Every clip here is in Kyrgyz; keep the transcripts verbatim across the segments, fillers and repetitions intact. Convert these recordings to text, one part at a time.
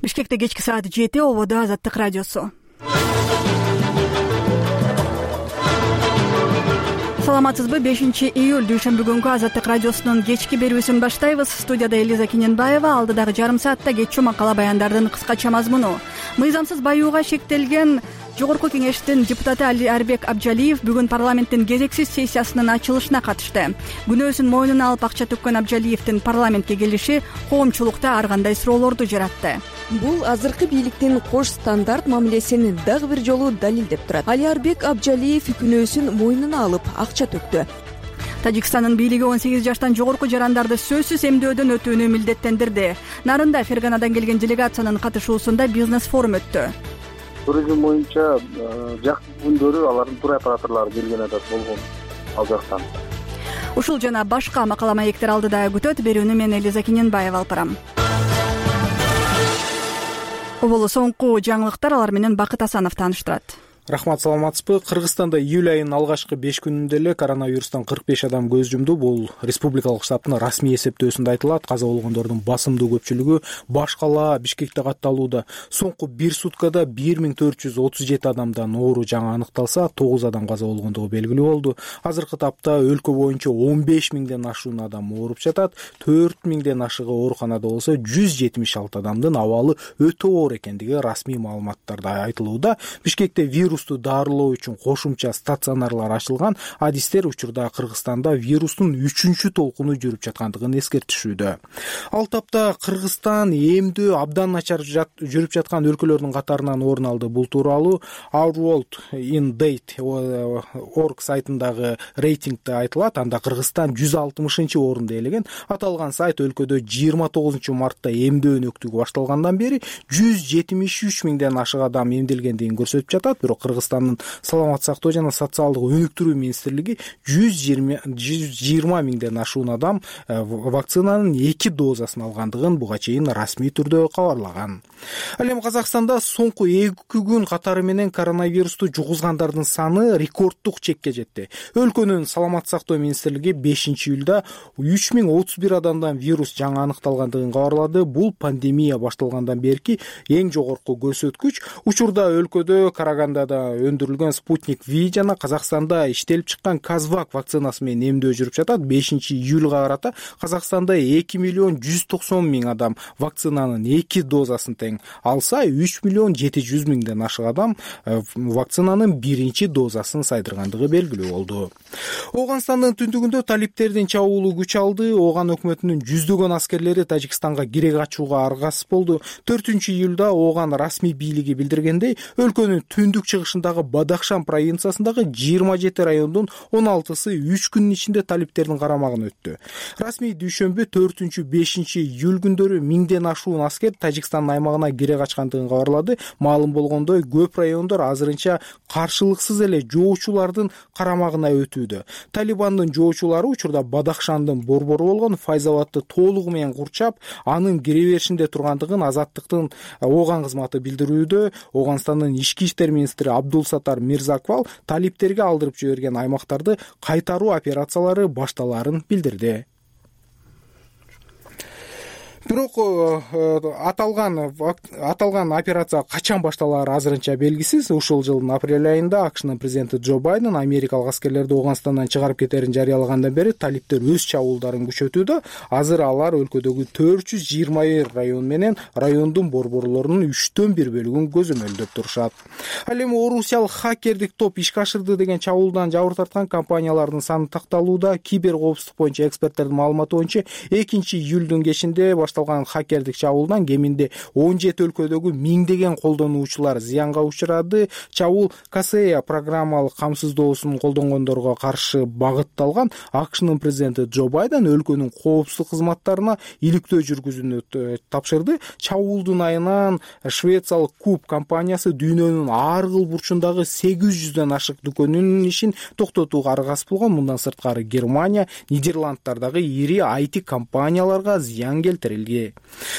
Бишкекте кечки саат жети, ободо Азаттык радиосу. Саламатсызбы? бешинчи июль дүйшөмбү күнгү Азаттык радиосунун кечки берүүсүн баштайбыз. Студияда Элиза Кененбаева, алдыдагы жарым саатта кечүү макала баяндардын кыскача мазмуну. Мыйзамсыз баюуга шектелген Жогорку кеңештин депутаты Алиарбек Абжалиев бүгүн парламенттин кезексиз сессиясынын ачылышына катышты. Күнөөсүн мойнуна алып акча төккөн Абжалиевдин парламентке келиши коомчулукта ар кандай суроолорду жаратты. Бул азыркы бийликтин кош стандарт мамилесин дагы бир жолу далилдеп турат. Алиарбек Абжалиев күнөөсүн мойнуна алып акча төктү. Тажикстандын бийлиги он сегиз жаштан жогорку жарандарды сөзсүз эмдөөдөн өтүүнү милдеттендирди. Нарында Ферганадан келген делегациянын катышуусунда бизнес форум өттү. Туризм боюнча жакшы күндөрү алардын тур операторлору келген атат болгон ал жактан. Ушул жана башка макала маектер алдыда күтөт. Берүүнү мен Элиза Кененбаева алып барам. Оболу соңку жаңылыктар, алар менен Бакыт Асанов тааныштырат. Рахмат, саламатсызбы? Кыргызстанда июль айынын алгачкы беш күнүндө эле коронавирустан кырк беш адам көз жумду. Бул республикалык штабтын расмий эсептөөсүндө айтылат. Каза болгондордун басымдуу көпчүлүгү Баш калаа Бишкекте катталууда. Соңку бир суткада бир миң төрт жүз отуз жети адамдан оору жаңы аныкталса, тогуз адам каза болгондугу белгилүү болду. Азыркы тапта өлкө боюнча он беш миңден ашуун адам ооруп жатат. төрт миңден ашыгы ооруканада болсо, жүз жетимиш алты адамдын абалы өтө оор экендиги расмий маалыматтарда айтылууда. Бишкекте вирус дарылоо үчүн кошумча стационарлар ачылган. Адистер учурда Кыргызстанда вирустун үчүнчү толкуну жүрүп жаткандыгын эскертишүүдө. Ал тапта Кыргызстан эмдөө абдан начар жүрүп жаткан өлкөлөрдүн катарынан орун алды. Бул тууралуу Our World in Date орг сайтындагы рейтингде айтылат. Анда Кыргызстан жүз алтымышынчы орунду ээлеген. Аталган сайт өлкөдө жыйырма тогузунчу мартта эмдөө өнөктүгү башталгандан бери жүз жетимиш үч миңден ашык адам эмделгендигин көрсөтүп жатат. Бирок Кыргызстандын саламат сактоо жана социалдык өнүктүрүү министрлиги жүз жыйырма миңден ашуун адам вакцинанын эки дозасын алгандыгын буга чейин расмий түрдө кабарлаган. Ал эми Казакстанда соңку эки күн катары менен коронавирусту жугузгандардын саны рекорддук чекке жетти. Өлкөнүн саламат сактоо министрлиги бешинчи июлда үч миң отуз бир адамдан вирус жаңы аныкталгандыгын кабарлады. Бул пандемия башталгандан берки эң жогорку көрсөткүч. Учурда өлкөдө Карагандада өндүрүлгөн Спутник V жана Казакстанда иштелип чыккан Казвак вакцинасы менен эмдөө жүрүп жатат. бешинчи июлга карата Казакстанда эки миллион жүз токсон миң адам вакцинанын эки дозасын тең алса, үч миллион жети жүз миңден ашык адам вакцинанын биринчи дозасын сайдыргандыгы белгилүү болду. Ооганстандын түндүгүндө талиптердин чабуулу күч алды. Ооган өкмөтүнүн жүздөгөн аскерлери Тажикстанга кире качууга аргасыз болду. төртүнчү июлда Ооган расмий бийлиги билдиргендей, өлкөнүн түндүк чыгышындагы Бадахшан провинциясындагы жыйырма жети райондун он алтысы үч күнүн ичинде талиптердин карамагына өттү. Расмий дүйшөмбү төртүнчү бешинчи июль күндөрү миңден ашуун аскер Тажикстан аймагына кире качкандыгын кабарлады. Маалым болгондой, көп райондор азырынча каршылыксыз эле жоочулардын карамагына өтүүдө. Талибандын жоочулары учурда Бадахшандын борбору болгон Файзабадты толугу менен курчап, анын кире беришинде тургандыгын Азаттыктын Ооган кызматы билдирүүдө. Ооганстандын ички иштер министри Абдулсатар Мирзаквал талиптерге алдырып жиберген аймактарды кайтаруу операциялары башталарын билдирди. Бирок аталган аталган операция качан башталаары азырынча белгисиз. Ушул жылдын апрель айында АКШнын президенти Джо Байден америкалык аскерлерди Ооганстандан чыгарып кетерин жарыялагандан бери талиптер өз чабуулдарын күчөтүүдө. Азыр алар өлкөдөгү төрт жүз жыйырма бир район менен райондун борборлорунун үчтөн бир бөлүгүн көзөмөлдөп турушат. Ал эми орусиялык хакердик топ ишке ашырды деген чабуулдан жабыр тарткан компаниялардын саны такталууда. Кибер коопсуздук боюнча эксперттердин маалыматы боюнча экинчи июлдун кечинде хакердик чабуулдан кеминде он жети өлкөдөгү миңдеген колдонуучулар зыянга учурады. Чабуул Касея программалык камсыздоосун колдонгондорго каршы багытталган. АКШнын президенти Джо Байден өлкөнүн коопсуздук кызматтарына иликтөө жүргүзүүнү тапшырды. Чабуулдун айынан Швециялык Куб компаниясы дүйнөнүн ар кыл бурчундагы сегиз жүздөн ашык дүкөнүнүн ишин токтотууга аргасыз болгон. Мындан сырткары Германия, Нидерланддардагы ири ай ти компанияларга зыян келтирилди белги.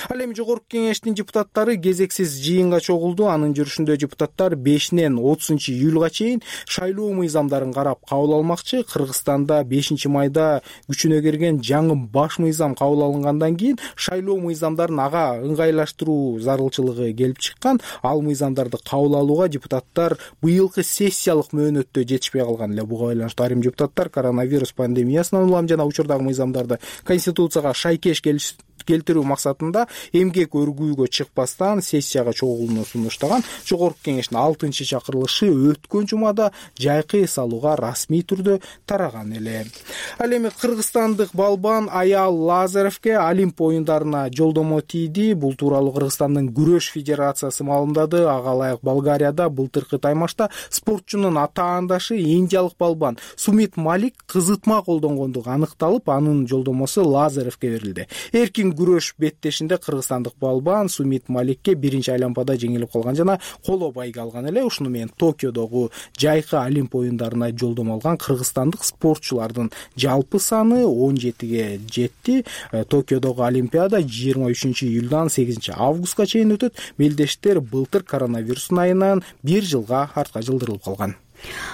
Ал эми жогорку кеңештин депутаттары кезексиз жыйынга чогулду. Анын жүрүшүндө депутаттар бешинен отузунчу июлга чейин шайлоо мыйзамдарын карап кабыл алмакчы. Кыргызстанда бешинчи майда күчүнө кирген жаңы баш мыйзам кабыл алынгандан кийин шайлоо мыйзамдарын ага ыңгайлаштыруу зарылчылыгы келип чыккан. Ал мыйзамдарды кабыл алууга депутаттар быйылкы сессиялык мөөнөттө жетишпей калган эле. Буга байланыштуу айрым депутаттар коронавирус пандемиясынан улам жана учурдагы мыйзамдарды конституцияга шайкеш келтирүү максатында эмгек өргүүгө чыкпастан сессияга чогулууну сунуштаган. Жогорку кеңештин алтынчы чакырылышы өткөн жумада жайкы эс алууга расмий түрдө тараган эле. Ал эми кыргызстандык балбан Аял Лазаревке Олимп оюндарына жолдомо тийди. Бул тууралуу Кыргызстандын күрөш федерациясы маалымдады. Ага ылайык Болгарияда былтыркы таймашта спортчунун атаандашы индиялык балбан Сумит Малик кызытма колдонгондугу аныкталып, анын жолдомосу Лазаревке берилди. Эркин күрөш беттешинде кыргызстандык балбан Сумит Маликке биринчи айлампада жеңилип калган жана коло байга алган эле. Ушуну менен Токиодогу жайкы Олимп оюндарына жолдомо алган кыргызстандык спортчулардын жалпы саны он жетиге жетти. Токиодогу Олимпиада жыйырма үчүнчү июлдан сегизинчи августка чейин өтөт. Мелдештер былтыр коронавирустун айынан бир жылга артка жылдырылып калган.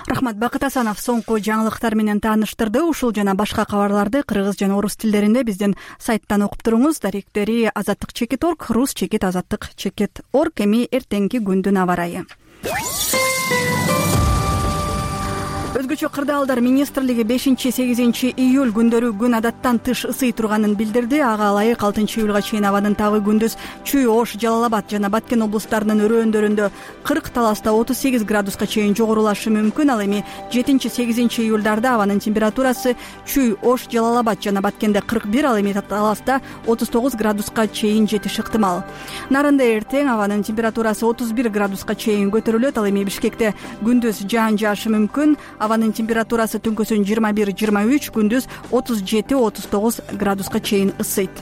Рахмат. Бакыт Асанов соңку жаңылыктар менен тааныштырды. Ушул жана башка кабарларды кыргыз жана орус тилдеринде биздин сайттан окуп туруңуз. Даректери азаттык чекит точка орг, рус чекит азаттык чекит точка орг. Эми эртеңки күндүн аба ырайы. Өзгөчө кырдаалдар министрлиги бешинчи сегизинчи июль күндөрү күн адаттан тыш ысый турганын билдирди. Ага ылайык алтынчы июлга чейин абанын табы күндүз Чүй, Ош, Жалал Абад жана Баткен облустарынын өрөөндөрүндө кырк, таласта отуз сегиз градуска чейин жогорулашы мүмкүн. Ал эми жетинчи сегизинчи июлдарда абанын температурасы Чүй, Ош, Жалал Абад жана Баткенде кырк бир, ал эми таласта отуз тогуз градуска чейин жетиши ыктымал. Нарында эртең абанын температурасы отуз бир градуска чейин көтөрүлөт. Ал эми Бишкекте күндүз жаан жаашы мүмкүн. Абанын температурасы түнкүсүн жыйырма бир жыйырма үч, күндүз отуз жети отуз тогуз градуска чейин ысыйт.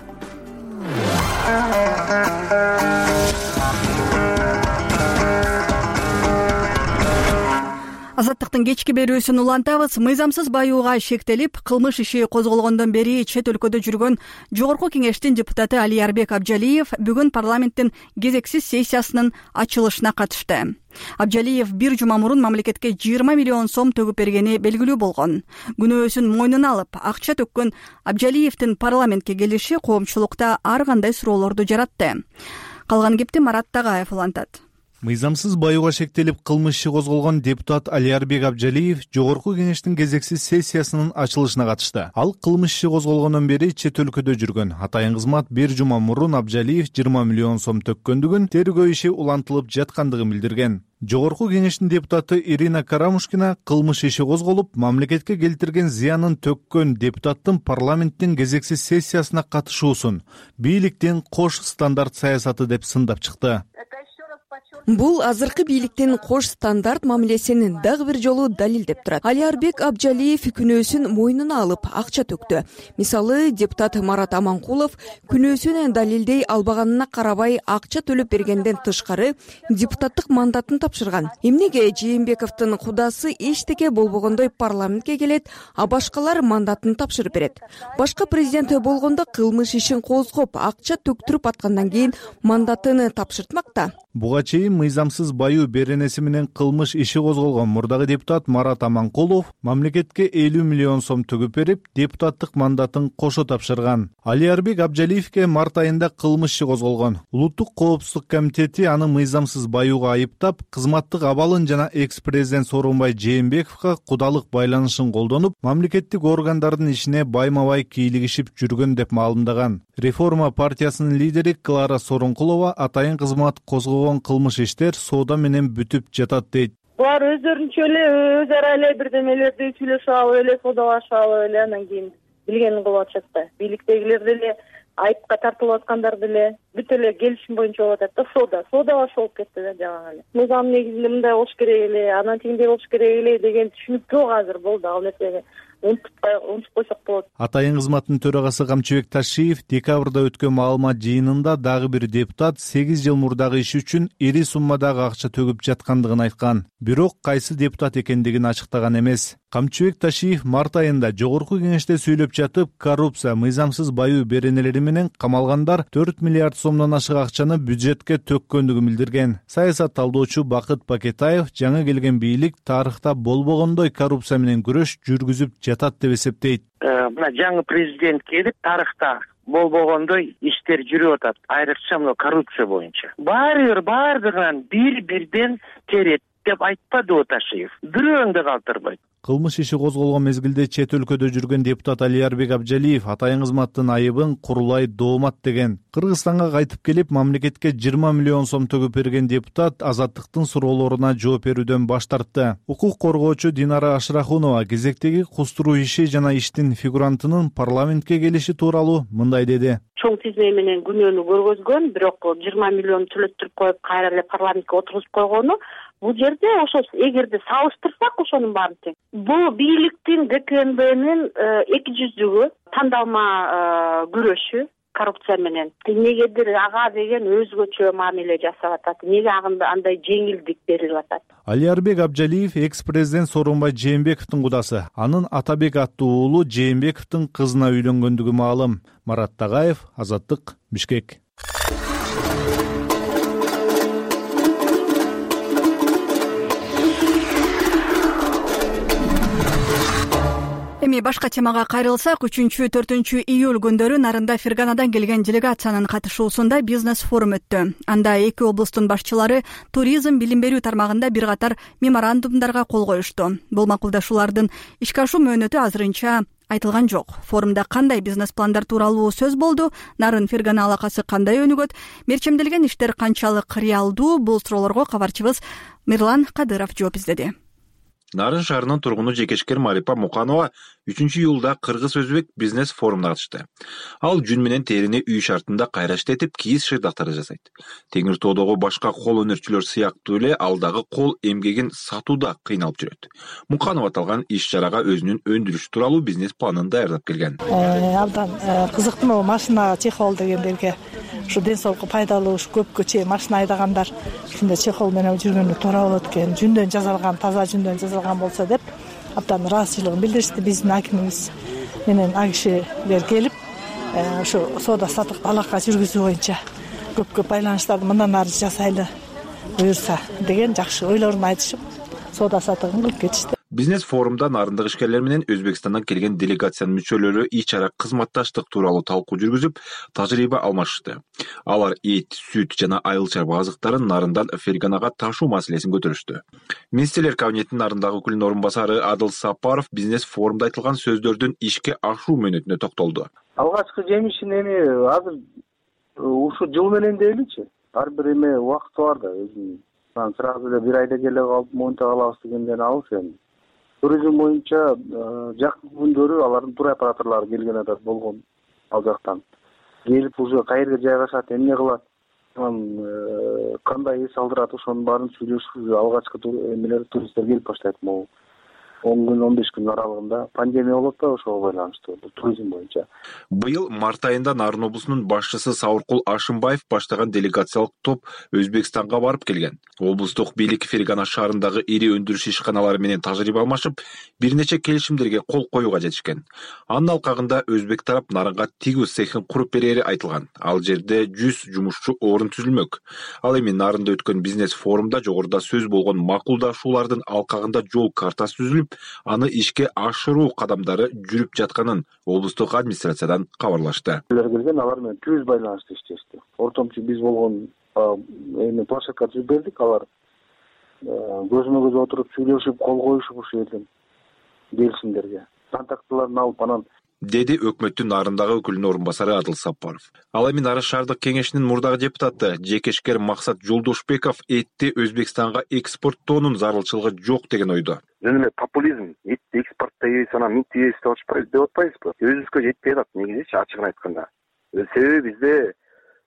Азаттыктын кечки берүүсүн улантабыз. Мыйзамсыз баюуга шектелип, кылмыш иши козголгондон бери чет өлкөдө жүргөн Жогорку кеңештин депутаты Алиарбек Абжалиев бүгүн парламенттин кезексиз сессиясынын ачылышына катышты. Абжалиев бир жума мурун мамлекетке жыйырма миллион сом төгүп бергени белгилүү болгон. Күнөөсүн мойнуна алып, акча төккөн Абжалиевдин парламентке келиши коомчулукта ар кандай суроолорду жаратты. Калган кепти Марат Тагаев улантат. Мыйзамсыз баюуга шектелип кылмыш иши козголгон депутат Алиарбек Абжалиев Жогорку кеңештин кезексиз сессиясынын ачылышына катышты. Ал кылмыш иши козголгондон бери чет өлкөдө жүргөн. Атайын кызмат бир жума мурун Абжалиев жыйырма миллион сом төккөндүгүн, тергөө иши улантылып жаткандыгын билдирген. Жогорку кеңештин депутаты Ирина Карамушкина кылмыш иши козголуп, мамлекетке келтирген зыянын төккөн депутаттын парламенттин кезексиз сессиясына катышуусун бийликтин кош стандарт саясаты деп сындап чыкты. Бул азыркы бийликтин кош стандарт мамилесин дагы бир жолу далилдеп турат. Алиарбек Абжалиев күнөөсүн мойнуна алып акча төктү. Мисалы, депутат Марат Аманкулов күнөөсүн далилдей албаганына карабай акча төлөп бергенден тышкары депутаттык мандатын тапшырган. Эмнеге Жээнбековдун кудасы эчтеке болбогондой парламентке келет, а башкалар мандатын тапшырып берет? Башка президент болгондо кылмыш ишин козгоп, акча төктүрүп аткандан кийин мандатын тапшыртмак да. Буга чейин мыйзамсыз баюу беренеси менен кылмыш иши козголгон мурдагы депутат Марат Аманкулов мамлекетке элүү миллион сом төгүп берип, депутаттык мандатын кошо тапшырган. Алиарбек Абжалиевке март айында кылмыш иши козголгон. Улуттук коопсуздук комитети аны мыйзамсыз баюуга айыптап, кызматтык абалын жана экс-президент Сооронбай Жээнбековго кудалык байланышын колдонуп, мамлекеттик органдардын ишине байма-бай кийлигишип жүргөн деп маалымдаган. Реформа партиясынын лидери Клара Сооронкулова атайын кызмат козгогон кылмыш иштер соода менен бүтүп жатат дейт. Булар өздөрүнчө эле өз ара эле бирдемелерди сүйлөшүп алып эле, соодалашып алып эле анан кийин билгенин кылып атышат да. Бийликтегилер деле айыпка тартылып аткандар деле бүт эле келишим боюнча болуп атат да, соода. Соодалашып болуп кетти да жаган эле. Мыйзам негизинде мындай болуш керек эле, анан тигиндей болуш керек эле деген түшүнүк жок азыр болду ал нерсеге. унутуп койсок болот. Атайын кызматтын төрагасы Камчыбек Ташиев декабрда өткөн маалымат жыйынында дагы бир депутат сегиз жыл мурдагы иши үчүн ири суммадагы акча төгүп жаткандыгын айткан. Бирок кайсы депутат экендигин ачыктаган эмес. Камчыбек Ташиев март айында жогорку кеңеште сүйлөп жатып, коррупция, мыйзамсыз баюу беренелери менен камалгандар төрт миллиард сомдон ашык акчаны бюджетке төккөндүгүн билдирген. Саясат талдоочу Бакыт Пакетаев жаңы келген бийлик тарыхта болбогондой коррупция менен күрөш жүргүзүп жатат деп эсептейт. Мына жаңы президент келип, тарыхта болбогондой иштер жүрүп атат, айрыкча мына коррупция боюнча. Баары бир баардыгынан бир-бирден терет деп айтпады Ташиев. Бирөөң да калтырбайт. Кылмыш иши козголгон мезгилде чет өлкөдө жүргөн депутат Алиарбек Абжалиев атайын кызматтын айыбын курулай доомат деген. Кыргызстанга кайтып келип, мамлекетке жыйырма миллион сом төгүп берген депутат азаттыктын суроолоруна жооп берүүдөн баш тартты. Укук коргоочу Динара Ашрахунова кезектеги кустуруу иши жана иштин фигурантынын парламентке келиши тууралуу мындай деди. Чоң тизме менен күнөөнү көргөзгөн, бирок жыйырма миллион төлөттүрүп коюп, кайра эле парламентке отургузуп койгону, бул жерде ошо эгерде салыштырсак ошонун баарын тең. Бул бийликтин ГКНБнин эки жүздүгү, тандалма күрөшү коррупция менен. Негедир ага деген өзгөчө мамиле жасап атат. Неге андай жеңилдик берилип атат? Алиарбек Абжалиев экс-президент Сооронбай Жээнбековдун кудасы. Анын Атабек аттуу уулу Жээнбековдун кызына үйлөнгөндүгү маалым. Марат Тагаев, Азаттык, Бишкек. Эми башка темага кайрылсак, үчүнчү төртүнчү июль күндөрү Нарында Ферганадан келген делегациянын катышуусунда бизнес форум өттү. Анда эки облустун башчылары туризм, билим берүү тармагында бир катар меморандумдарга кол коюшту. Бул макулдашуулардын ишке ашуу мөөнөтү азырынча айтылган жок. Форумда кандай бизнес пландар тууралуу сөз болду? Нарын Фергана алакасы кандай өнүгөт? Мерчемделген иштер канчалык реалдуу? Бул суроолорго кабарчыбыз Мирлан Кадыров жооп издеди. Нарын шаарынын тургуну жекешкер Марипа Муканова үчүнчү июлда Кыргыз-Өзбек бизнес форумуна катышты. Ал жүн менен терини үй шартында кайра иштетип, кийиз шырдактарды жасайт. Теңир тоодогу башка кол өнөрчүлөр сыяктуу эле ал дагы кол эмгегин сатууда кыйналып жүрөт. Муканова аталган иш чарага өзүнүн өндүрүшү тууралуу бизнес планын даярдап келген. Абдан кызыктуу машина чехол дегендерге, ушу ден соолукка пайдалуу, ушу көпкө чейин машина айдагандар ушундай чехол менен жүргөнү туура болот экен. Жүндөн жасалган, таза жүндөн жасалган болсо деп абдан ыраазычылыгын билдиришти. Биздин акимибиз менен а кишилер келип, ушу соода саттыкты алака жүргүзүү боюнча көп көп байланыштарды мындан ары жасайлы буюрса деген жакшы ойлорун айтышып, соода саттыгын кылып кетишти. Бизнес форумда нарындык ишкерлер менен Өзбекстандан келген делегациянын мүчөлөрү ич ара кызматташтык тууралуу талкуу жүргүзүп, тажрыйба алмашышты. Алар эт, сүт жана айыл чарба азыктарын Нарындан Ферганага ташуу маселесин көтөрүштү. Министрлер кабинетинин Нарындагы өкүлүнүн орун басары Адыл Сапаров бизнес форумда айтылган сөздөрдүн ишке ашуу мөөнөтүнө токтолду. Алгачкы жемишин эми азыр ушу жыл менен дейличи. Ар бир эме убакыты бар да. Өзүм сразу эле бир айда келе калып монта калабыз дегенден алыс эми. Туризм боюнча жакын күндөрү алардын тур операторлору келген атат болгон ал жактан. Келип уже каерге жайгашат, эмне кылат, кандай эс алдырат, ошонун баарын сүйлөшүп, алгачкы эмелер туристтер келип баштайт. Могу он күн, он беш күн аралыгында пандемия болот да, ошого байланыштуу туризм боюнча. Быйыл март айында Нарын облусунун башчысы Сауркул Ашымбаев баштаган делегациялык топ Өзбекстанга барып келген. Облустук бийлик Фергана шаарындагы ири өндүрүш ишканалары менен тажрыйба алмашып, бир нече келишимдерге кол коюуга жетишкен. Анын алкагында Өзбек тарап Нарынга тигүү цехин куруп берери айтылган. Ал жерде жүз жумушчу орун түзүлмөк. Ал эми Нарында өткөн бизнес форумда жогоруда сөз болгон макулдашуулардын алкагында жол картасы түзүлүп, аны ишке ашыруу кадамдары жүрүп жатканын облустук администрациядан кабарлашты. Келген алар менен түз байланышты иштешти. Ортомчу биз болгон эми площадка түзүп бердик, алар көзмө көз отуруп сүйлөшүп, кол коюшуп ушу жерден келишимдерге. Контактыларын алып анан деди өкмөттүн Нарындагы өкүлүнүн орун басары Адыл Сапаров. Ал эми Нарын шаардык кеңешинин мурдагы депутаты жекешкер Максат Жолдошбеков этти Өзбекстанга экспорттоонун зарылчылыгы жок деген ойдо. Жөн эле популизм, этти экспорттойбуз, анан минтибиз деп атпайбызбы? Өзүбүзгө жетпей атат негизичи, ачыгын айтканда. Себеби бизде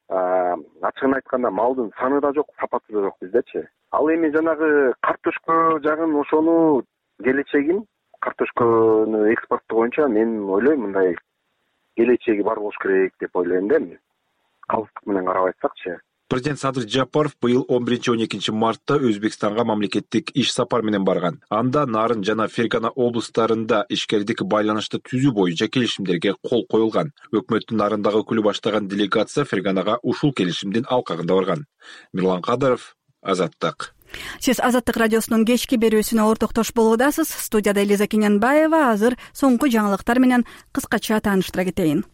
ачыгын айтканда малдын саны да жок, сапаты да жок биздечи. Ал эми жанагы картошка жагын ошону келечегин картошканы экспорттоо боюнча мен ойлойм мындай келечеги бар болуш керек деп ойлойм да эми. Калыстык менен карап айтсакчы. Президент Садыр Жапаров быйыл он биринчи он экинчи мартта Өзбекстанга мамлекеттик иш сапар менен барган. Анда Нарын жана Фергана облустарында ишкердик байланышты түзүү боюнча келишимдерге кол коюлган. Өкмөттүн Нарындагы өкүлү баштаган делегация Ферганага ушул келишимдин алкагында барган. Мирлан Кадыров, Азаттык. Сиз Азаттык радиосунун кечки берүүсүнө ортоктош болуудасыз. Студияда Элиза Кененбаева. Азыр соңку жаңылыктар менен кыскача тааныштыра кетейин.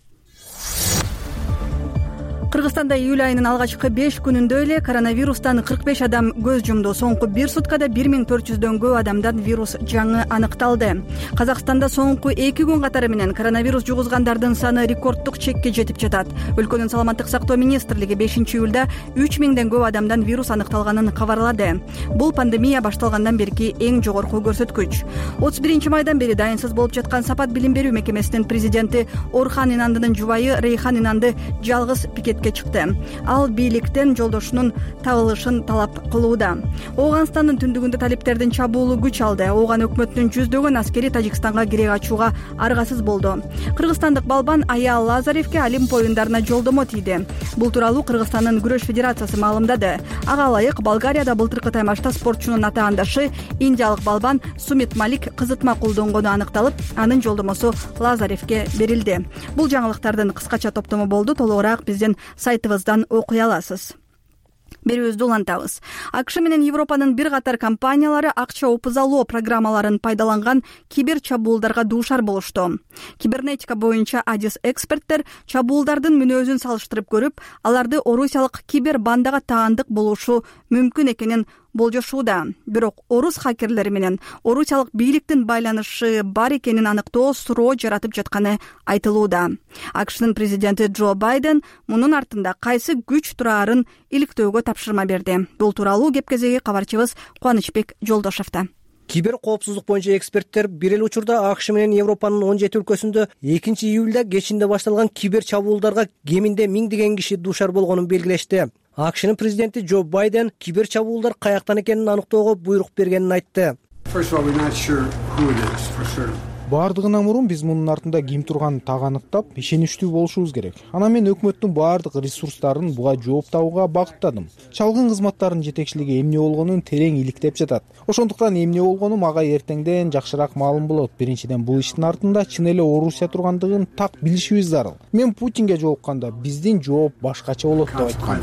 Кыргызстанда июль айынын алгачкы беш күнүндө эле коронавирустан кырк беш адам көз жумду. Соңку бир суткада бир миң төрт жүздөн көп адамдан вирус жаңы аныкталды. Казакстанда соңку эки күн катары менен коронавирус жугузгандардын саны рекорддук чекке жетип жатат. Өлкөнүн саламаттык сактоо министрлиги бешинчи июлда үч миңден көп адамдан вирус аныкталганын кабарлады. Бул пандемия башталгандан берки эң жогорку көрсөткүч. отуз биринчи майдан бери дайынсыз болуп жаткан Сапат билим берүү мекемесинин президенти Орхан Инандынын жубайы Рейхан Инанды жалгыз пикет чыкты. Ал бийликтен жолдошунун табылышын талап кылууда. Ооганстандын түндүгүндө талиптердин чабуулу күч алды. Ооган өкмөтүнүн жүздөгөн аскери Тажикстанга кире ачууга аргасыз болду. Кыргызстандык балбан Ая Лазаревке Олимп оюндарына жолдомо тийди. Бул тууралуу Кыргызстандын күрөш федерациясы маалымдады. Ага ылайык Болгарияда былтыркы таймашта спортчунун атаандашы индиялык балбан Сумит Малик кызытма колдонгону аныкталып, анын жолдомосу Лазаревке берилди. Бул жаңылыктардын кыскача топтому болду. Толугураак биздин сайтыбыздан окуй аласыз. Берүүбүздү улантабыз. АКШ менен Европанын бир катар компаниялары акча опузалоо программаларын пайдаланган кибер чабуулдарга дуушар болушту. Кибернетика боюнча адис эксперттер чабуулдардын мүнөзүн салыштырып көрүп, аларды орусиялык кибер бандага таандык болушу мүмкүн экенин болжошууда. Бирок орус хакерлери менен орусиялык бийликтин байланышы бар экенин аныктоо суроо жаратып жатканы айтылууда. АКШнын президенти Джо Байден мунун артында кайсы күч турарын иликтөөгө тапшырма берди. Бул тууралуу кеп-кезеги кабарчыбыз Кубанычбек Жолдошевда. Кибер коопсуздук боюнча эксперттер бир эле учурда АКШ менен Европанын он жети өлкөсүндө экинчи июлда кечинде башталган кибер чабуулдарга кеминде миңдеген киши дуушар болгонун белгилешти. АКШнын президенти Джо Байден кибер чабуулдар каяктан экенин аныктоого буйрук бергенин айтты. Баардыгынан мурун биз мунун артында ким турганын так аныктап, ишеничтүү болушубуз керек. Анан мен өкмөттүн баардык ресурстарын буга жооп табууга багыттадым. Чалгын кызматтарынын жетекчилиги эмне болгонун терең иликтеп жатат. Ошондуктан эмне болгону мага эртеңден жакшыраак маалым болот. Биринчиден, бул иштин артында чын эле Орусия тургандыгын так билишибиз зарыл. Мен Путинге жолукканда биздин жооп башкача болот деп айткам.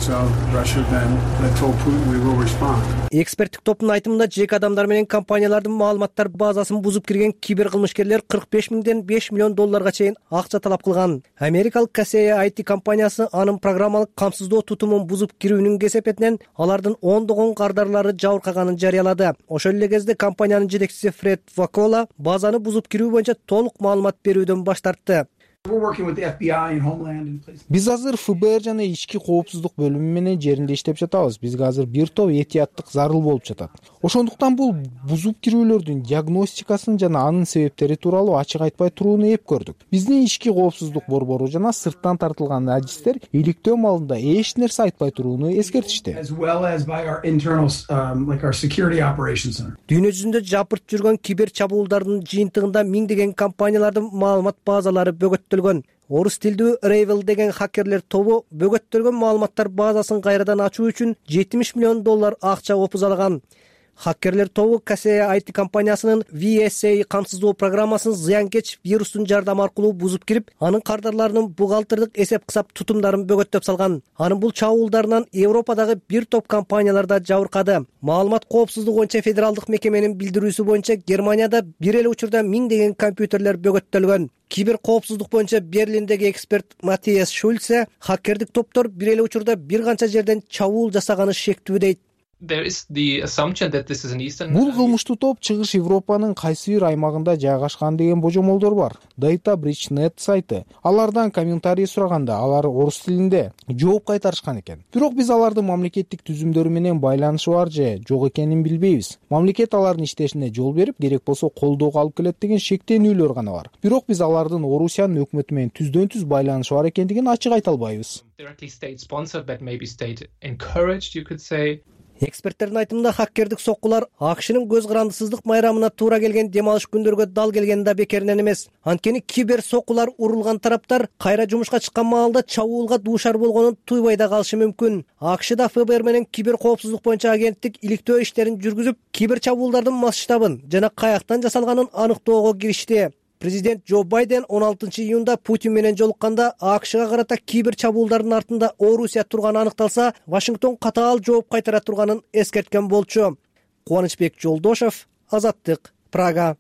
Эксперттик топтун айтымында жеке адамдар менен компаниялардын маалыматтар базасын бузуп кирген кибер кылмышкерлер кырк беш миңден беш миллион долларга чейин акча талап кылган. Америкалык Kaseya ай ти компаниясы анын программалык камсыздоо тутумун бузуп кирүүнүн кесепетинен алардын ондогон кардарлары жабыркаганын жарыялады. Ошол эле кезде компаниянын жетекчиси Фред Вакола базаны бузуп кирүү боюнча толук маалымат берүүдөн баш тартты. Биз азыр эф бэ эр жана ички коопсуздук бөлүмү менен жеринде иштеп жатабыз. Бизге азыр бир топ этияттык зарыл болуп жатат. Ошондуктан бул бузуп кирүүлөрдүн диагностикасын жана анын себептери тууралуу ачык айтпай турууну эп көрдүк. Биздин ички коопсуздук борбору жана сырттан тартылган адистер иликтөө маалында эч нерсе айтпай турууну эскертишти. Дүйнө жүзүндө жапырт жүргөн кибер чабуулдардын жыйынтыгында миңдеген компаниялардын маалымат базалары бөгөттөлгөн. Орус тилдүү Ravel деген хакерлер тобу бөгөттөлгөн маалыматтар базасын кайрадан ачуу үчүн жетимиш миллион доллар акча опузалаган. Хакерлер тобу Kaseya ай ти компаниясынын ви эс эй камсыздоо программасын зыянкеч вирустун жардамы аркылуу бузуп кирип, анын кардарларынын бухгалтердик эсеп-кысап тутумдарын бөгөттөп салган. Анын бул чабуулдарынан Европадагы бир топ компанияларда жабыркады. Маалымат коопсуздугу боюнча федералдык мекеменин билдирүүсү боюнча Германияда бир эле учурда миңдеген компьютерлер бөгөттөлгөн. Кибер коопсуздук боюнча Берлиндеги эксперт Матиас Шульце хакердик топтор бир эле учурда бир канча жерден чабуул жасаганы шектүү дейт. Бул кылмыштуу топ чыгыш Европанын кайсы бир аймагында жайгашкан деген божомолдор бар. Data Breach точка нет сайты. Алардан комментарий сураганда алар орус тилинде жооп кайтарышкан экен. Бирок биз алардын мамлекеттик түзүмдөрү менен байланышы бар же жок экенин билбейбиз. Мамлекет алардын иштешине жол берип, керек болсо колдоого алып келет деген шектенүүлөр гана бар. Бирок биз алардын Орусиянын өкмөтү менен түздөн-түз байланышы бар экендигин ачык айта албайбыз. Эксперттердин айтымында хаккердик соккулар АКШнын көз карандысыздык майрамына туура келген дем алыш күндөргө дал келгени да бекеринен эмес. Анткени кибер соккулар урулган тараптар кайра жумушка чыккан маалда чабуулга дуушар болгонун туйбай да калышы мүмкүн. АКШда эф бэ эр менен кибер коопсуздук боюнча агенттик иликтөө иштерин жүргүзүп, кибер чабуулдардын масштабын жана каяктан жасалганын аныктоого киришти. Президент Джо Байден он алтынчы июнда Путин менен жолукканда АКШга карата кибер чабуулдардын артында Орусия турганы аныкталса, Вашингтон катаал жооп кайтара турганын эскерткен болчу. Кубанычбек Жолдошев, Азаттык, Прага.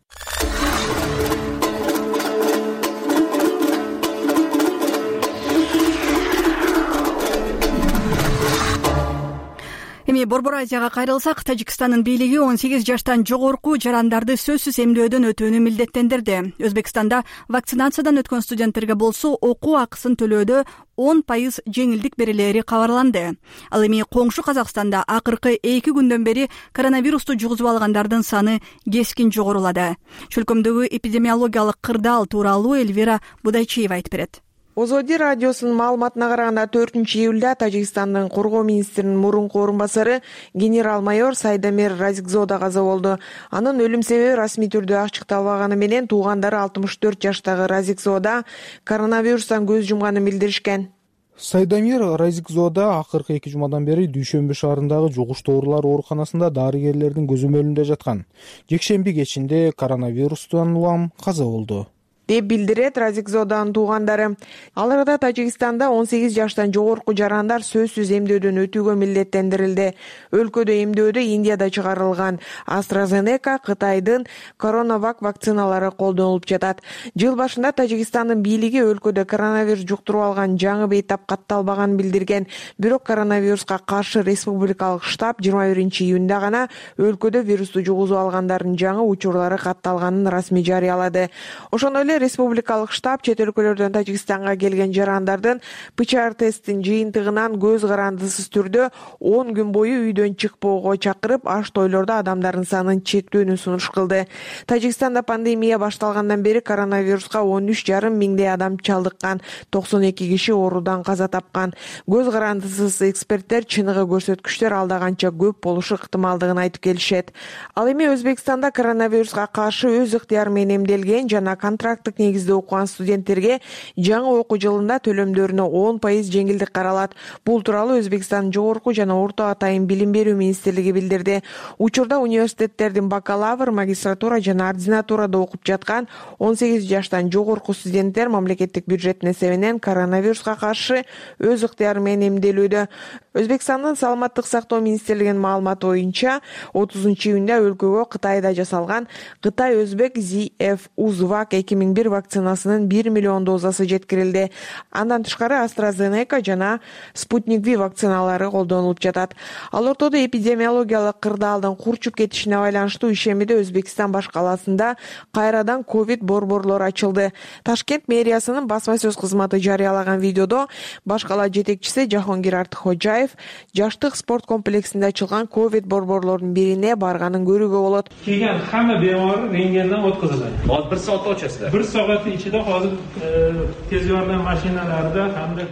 Эми Борбор Азияга кайрылсак, Тажикстандын бийлиги он сегиз жаштан жогорку жарандарды сөзсүз эмдөөдөн өтүүнү милдеттендирди. Өзбекстанда вакцинациядан өткөн студенттерге болсо окуу акысын төлөөдө он пайыз жеңилдик берилери кабарланды. Ал эми коңшу Казакстанда акыркы эки күндөн бери коронавирусту жугузуп алгандардын саны кескин жогорулады. Чөлкөмдөгү эпидемиологиялык кырдаал тууралуу Эльвира Будайчиева айтып берет. Озоди радиосунун маалыматына караганда төртүнчү июлда Тажикстандын коргоо министринин мурунку орун басары генерал-майор Сайдамир Разикзода каза болду. Анын өлүм себеби расмий түрдө ачыкталбаганы менен туугандары алтымыш төрт жаштагы Разикзода коронавирустан көз жумганын билдиришкен. Сайдамир Разикзода акыркы эки жумадан бери Дүйшөмбү шаарындагы жугуштуу оорулар ооруканасында дарыгерлердин көзөмөлүндө жаткан. Жекшемби кечинде коронавирустан улам каза болду деп билдирет Разикзоданын туугандары. Аларда Тажикстанда он сегиз жаштан жогорку жарандар сөзсүз эмдөөдөн өтүүгө милдеттендирилди. Өлкөдө эмдөөдө Индияда чыгарылган AstraZeneca, Кытайдын Коронавак вакциналары колдонулуп жатат. Жыл башында Тажикстандын бийлиги өлкөдө коронавирус жуктуруп алган жаңы бейтап катталбаганын билдирген. Бирок коронавируска каршы республикалык штаб жыйырма биринчи июнда гана өлкөдө вирусту жугузуп алгандардын жаңы учурлары катталганын расмий жарыялады. Ошондой эле республикалык штаб чет өлкөлөрдөн Тажикстанга келген жарандардын ПЦР тесттин жыйынтыгынан көз карандысыз түрдө он күн бою үйдөн чыкпоого чакырып, аш тойлордо адамдардын санын чектөөнү сунуш кылды. Тажикстанда пандемия башталгандан бери коронавируска он үч жарым миңдей адам чалдыккан, токсон эки киши оорудан каза тапкан. Көз карандысыз эксперттер чыныгы көрсөткүчтөр алда канча көп болушу ыктымалдыгын айтып келишет. Ал эми Өзбекстанда коронавируска каршы өз ыктыяры менен эмделген жана контракт негизде окуган студенттерге жаңы окуу жылында төлөмдөрүнө он пайыз жеңилдик каралат. Бул тууралуу Өзбекстандын жогорку жана орто атайын билим берүү министрлиги билдирди. Учурда университеттердин бакалавр, магистратура жана ординатурада окуп жаткан он сегиз жаштан жогорку студенттер мамлекеттик бюджеттин эсебинен коронавируска каршы өз ыктыяры менен эмделүүдө. Өзбекстандын саламаттык сактоо министрлигинин маалыматы боюнча отузунчу июнда өлкөгө Кытайда жасалган Кытай-Өзбек зет эф Узвак эки миң бир вакцинасынын бир миллион дозасы жеткирилди. Андан тышкары AstraZeneca жана Sputnik V вакциналары колдонулуп жатат. Ал ортодо эпидемиологиялык кырдаалдын курчуп кетишине байланыштуу ишемиде Өзбекстан баш калаасында кайрадан ковид борборлору ачылды. Ташкент мэриясынын басма сөз кызматы жарыялаган видеодо баш кала жетекчиси Жахонгир Артыкхожаев жаштык спорт комплексинде ачылган ковид борборлордун бирине барганын көрүүгө болот. Келген хамма бемор рентгенден өткөзүлөт. Hozir bir soat ochasizlar. bir soat ichida hozir tez yordam mashinalarida hamda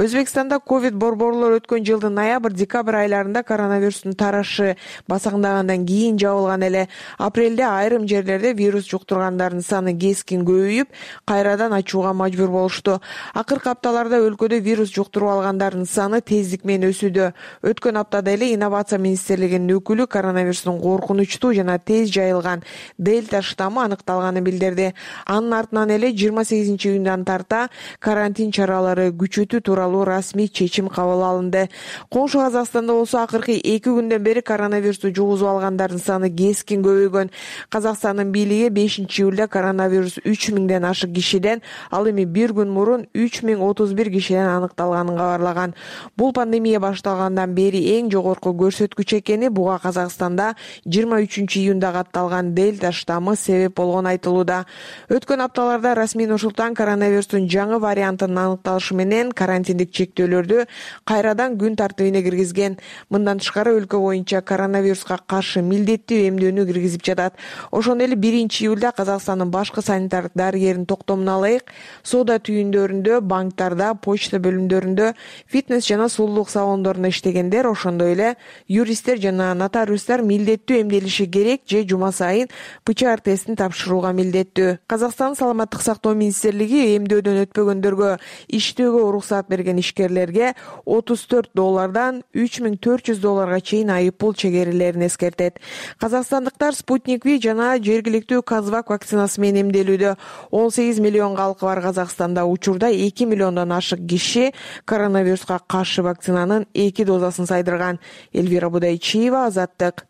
Өзбекстанда ковид борборлор өткөн жылдын ноябрь-декабрь айларында коронавирустун тарашы басаңдагандан кийин жабылган эле. Апрелде айрым жерлерде вирус жуктургандардын саны кескин көбөйүп, кайрадан ачууга мажбур болушту. Акыркы апталарда өлкөдө вирус жуктуруп алгандардын саны тездик менен өсүүдө. Өткөн аптада эле инновация министрлигинин өкүлү коронавирустун коркунучтуу жана тез жайылган дельта штаммы аныкталганын билдирди. Анын артынан эле жыйырма сегизинчи июндан тарта карантин чаралары күчөтүү тууралуу расмий чечим кабыл алынды. Коңшу Казакстанда болсо акыркы эки күндөн бери коронавирусту жугузуп алгандардын саны кескин көбөйгөн. Казакстандын бийлиги бешинчи июлда коронавирус үч миңден ашык кишиден, ал эми бир күн мурун үч миң отуз бир кишиден аныкталганын кабарлаган. Бул пандемия башталгандан бери эң жогорку көрсөткүч экени, буга Казакстанда жыйырма үчүнчү июнда катталган дельта штаммы себеп болгону айтылууда. Өткөн апталарда расмий Нур-Султан коронавирустун жаңы вариантынын аныкталышы менен карантин карантиндик чектөөлөрдү кайрадан күн тартибине киргизген. Мындан тышкары өлкө боюнча коронавируска каршы милдеттүү эмдөөнү киргизип жатат. Ошондой эле биринчи июлда Казакстандын башкы санитардык дарыгеринин токтомуна ылайык соода түйүндөрүндө, банктарда, почта бөлүмдөрүндө, фитнес жана сулуулук салондорунда иштегендер, ошондой эле юристтер жана нотариустар милдеттүү эмделиши керек же жума сайын ПЧР тестин тапшырууга милдеттүү. Казакстан саламаттык сактоо министрлиги эмдөөдөн өтпөгөндөргө иштөөгө уруксаат берген ишкерлерге отуз төрт доллардан үч миң төрт жүз долларга чейин айып пул чегерилерин эскертет. Казакстандыктар Спутник V жана жергиликтүү Казвак вакцинасы менен эмделүүдө. он сегиз миллион калкы бар Казакстанда учурда эки миллиондон ашык киши коронавируска каршы вакцинанын эки дозасын сайдырган. Элвира Будайчиева, Азаттык.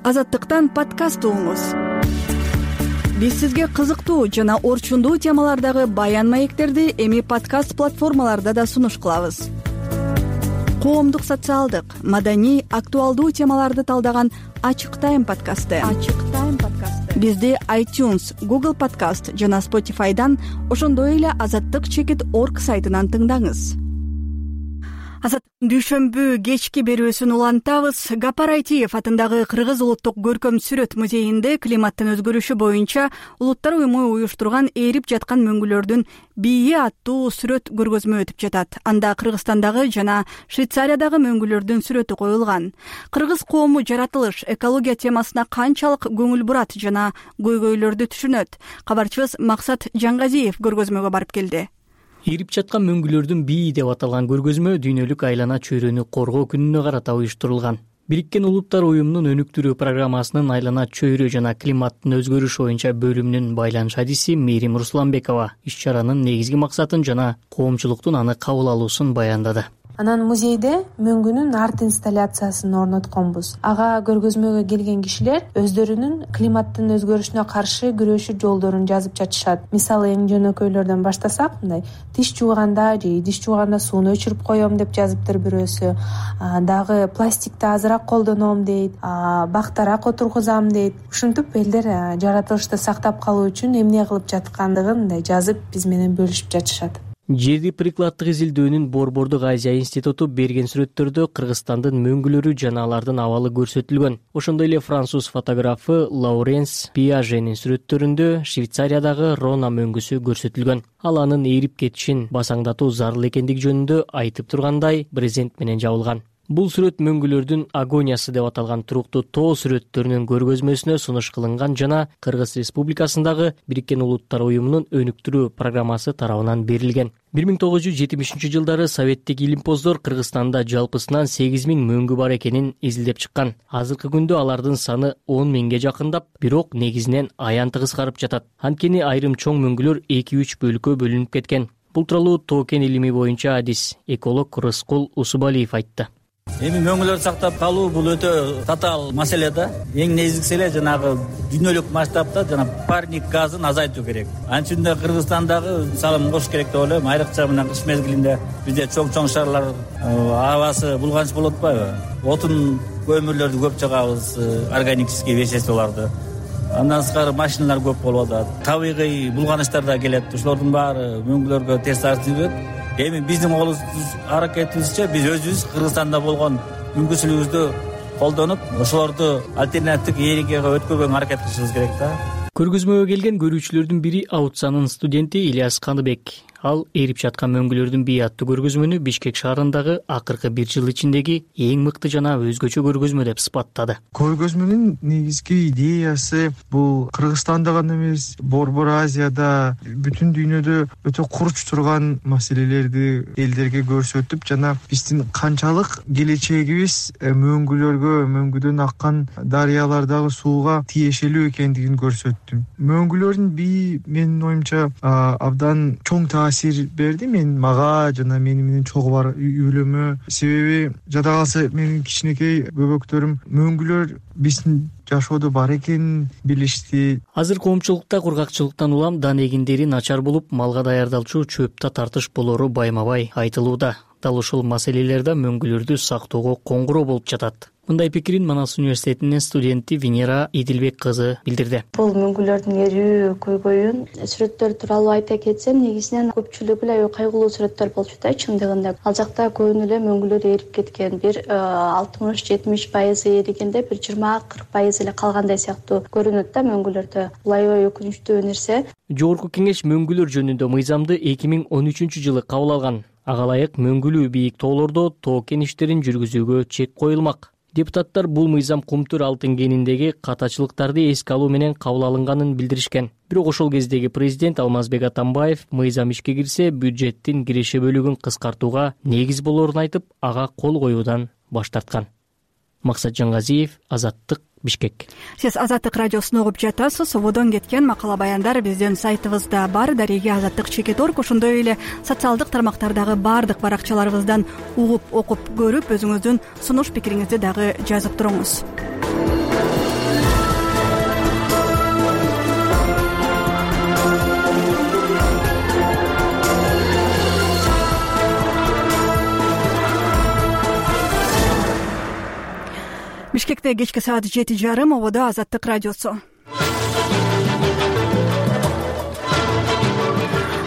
Азаттыктан подкаст угуңуз. Биз сизге кызыктуу жана орчундуу темалардагы баян маектерди эми подкаст платформаларда да сунуш кылабыз. Коомдук, социалдык, маданий, актуалдуу темаларды талдаган Ачык Тайм подкасты. Ачык Тайм подкасты. Бизди iTunes, Google Podcast жана Spotify'дан, ошондой эле азаттык чекит точка орг сайтынан тыңдаңыз. Азат дүйшөмбү кечки берүүсүн улантабыз. Гапар Айтиев атындагы Кыргыз улуттук көркөм сүрөт музейинде климаттын өзгөрүшү боюнча улуттар уюму уюштурган ээрип жаткан мөңгүлөрдүн бийи аттуу сүрөт көргөзмө өтүп жатат. Анда Кыргызстандагы жана Швейцариядагы мөңгүлөрдүн сүрөтү коюлган. Кыргыз коому жаратылыш, экология темасына канчалык көңүл бурат жана көйгөйлөрдү түшүнөт. Кабарчыбыз Максат Жангазиев көргөзмөгө барып келди. Ээрип жаткан мөңгүлөрдүн бийи деп аталган көргөзмө дүйнөлүк айлана чөйрөнү коргоо күнүнө карата уюштурулган. Бириккен Улуттар уюмунун өнүктүрүү программасынын айлана чөйрө жана климаттын өзгөрүшү боюнча бөлүмүнүн байланыш адиси Мээрим Русланбекова иш-чаранын негизги максатын жана коомчулуктун аны кабыл алуусун баяндады. Анан музейде мөңгүнүн арт инсталляциясын орнотконбуз. Ага көргөзмөгө келген кишилер өздөрүнүн климаттын өзгөрүшүнө каршы күрөшүү жолдорун жазып жатышат. Мисалы эң жөнөкөйлөрдөн баштасак, мындай тиш жууганда же идиш жууганда сууну өчүрүп коем деп жазыптыр бирөөсү. Дагы пластикти азыраак колдоном дейт, бактарак отургузам дейт. Ушинтип элдер жаратылышты сактап калуу үчүн эмне кылып жаткандыгын мындай жазып биз менен бөлүшүп жатышат. Жерди прикладдык изилдөөнүн Борбордук Азия институту берген сүрөттөрдө Кыргызстандын мөңгүлөрү жана алардын абалы көрсөтүлгөн. Ошондой эле француз фотографы Лауренс Пиаженин сүрөттөрүндө Швейцариядагы Рона мөңгүсү көрсөтүлгөн. Ал анын ээрип кетишин басаңдатуу зарыл экендиги жөнүндө айтып тургандай брезент менен жабылган. Бул сүрөт мөңгүлөрдүн агониясы деп аталган туруктуу тоо сүрөттөрүнүн көргөзмөсүнө сунуш кылынган жана Кыргыз Республикасындагы Бириккен Улуттар уюмунун өнүктүрүү программасы тарабынан берилген. бир миң тогуз жүз жетимишинчи жылдары советтик илимпоздор Кыргызстанда жалпысынан сегиз миң мөңгү бар экенин изилдеп чыккан. Азыркы күндө алардын саны он миңге жакындап, бирок негизинен аянты кыскарып жатат. Анткени айрым чоң мөңгүлөр эки үч бөлүккө бөлүнүп кеткен. Бул тууралуу тоо кен илими боюнча адис эколог Рыскул Усубалиев айтты. Эми мөңгүлөрдү сактап калуу бул өтө татаал маселе да. Эң негизгиси эле жанагы дүйнөлүк масштабта жана парник газын азайтуу керек. Анчында Кыргызстандагы салым кош керек деп ойлойм. Айрыкча мына кыш мезгилинде бизде чоң-чоң шаарлар абасы булганч болуп атпайбы? Отун көмүрлөрдү көп жагабыз, органический веществолорду. Андан сырткары машиналар көп болуп атат. Табигый булганыштар да келет. Ошолордун баары мөңгүлөргө терс таасир этет. Эми биздин аракетибизче биз өзүбүз Кыргызстанда болгон мүмкүнчүлүгүбүздү колдонуп, ошолорду альтернативдик ээрикеге өткөргөнгө аракет кылышыбыз керек да. Көргөзмөгө келген көрүүчүлөрдүн бири Аутсанын студенти Ильяс Каныбек. Ал ээрип жаткан мөңгүлөрдүн бийи аттуу көргөзмөнү Бишкек шаарындагы акыркы бир жыл ичиндеги эң мыкты жана өзгөчө көргөзмө деп сыпаттады. Көргөзмөнүн негизги идеясы бул Кыргызстанда гана эмес, Борбор Азияда, бүтүн дүйнөдө өтө курч турган маселелерди элдерге көрсөтүп жана биздин канчалык келечегибиз мөңгүлөргө, мөңгүдөн аккан дарыялардагы сууга тиешелүү экендигин көрсөттүм. Мөңгүлөрдүн бийи менин оюмча абдан чоң таасир берди мен мага жана мени менен чогуу бар үйлөмө. Себеби жада калса менин кичинекей бөбөктөрүм мөңгүлөр биздин жашоодо бар экенин билишти. Азыр коомчулукта кургакчылыктан улам дан эгиндери начар болуп, малга даярдалчу чөптө тартыш болору байма-бай айтылууда. Дал ушул маселелерде мөңгүлөрдү сактоого коңгуроо болуп жатат. Мындай пикирин Манас университетинин студенти Венера Идилбек кызы билдирди. Бул мөңгүлөрдүн эрүү көйгөйүн сүрөттөр тууралуу айта кетсем, негизинен көпчүлүгү эле кайгылуу сүрөттөр болчу да чындыгында. Ал жакта көбүнө эле мөңгүлөр эрип кеткен, бир алтымыш жетимиш пайызы эригенде, бир жыйырма кырк пайызы эле калгандай сыяктуу көрүнөт да мөңгүлөрдө. Бул аябай өкүнүчтүү нерсе. Жогорку кеңеш мөңгүлөр жөнүндө мыйзамды эки миң он үчүнчү жылы кабыл алган. Ага ылайык мөңгүлүү бийик тоолордо тоо кен иштерин жүргүзүүгө чек коюлмак. Депутаттар бул мыйзам Кумтур алтын кениндеги катачылыктарды эске алуу менен кабыл алынганын билдиришкен. Бирок ошол кездеги президент Алмазбек Атамбаев мыйзам ишке кирсе, бюджеттин киреше бөлүгүн кыскартууга негиз болорун айтып, ага кол коюудан баш тарткан. Максат Жангазиев, Азаттык, Бишкек. Сиз Азаттык радиосун угуп жатасыз. Ободон кеткен макала баяндар биздин сайтыбызда бар. Дареги Азаттык чекит орг, ошондой эле социалдык тармактардагы баардык баракчаларыбыздан угуп, окуп көрүп, өзүңүздүн сунуш пикириңизди дагы жазып туруңуз. Бишкекте кечки саат жети жарым, ободо Азаттык радиосу.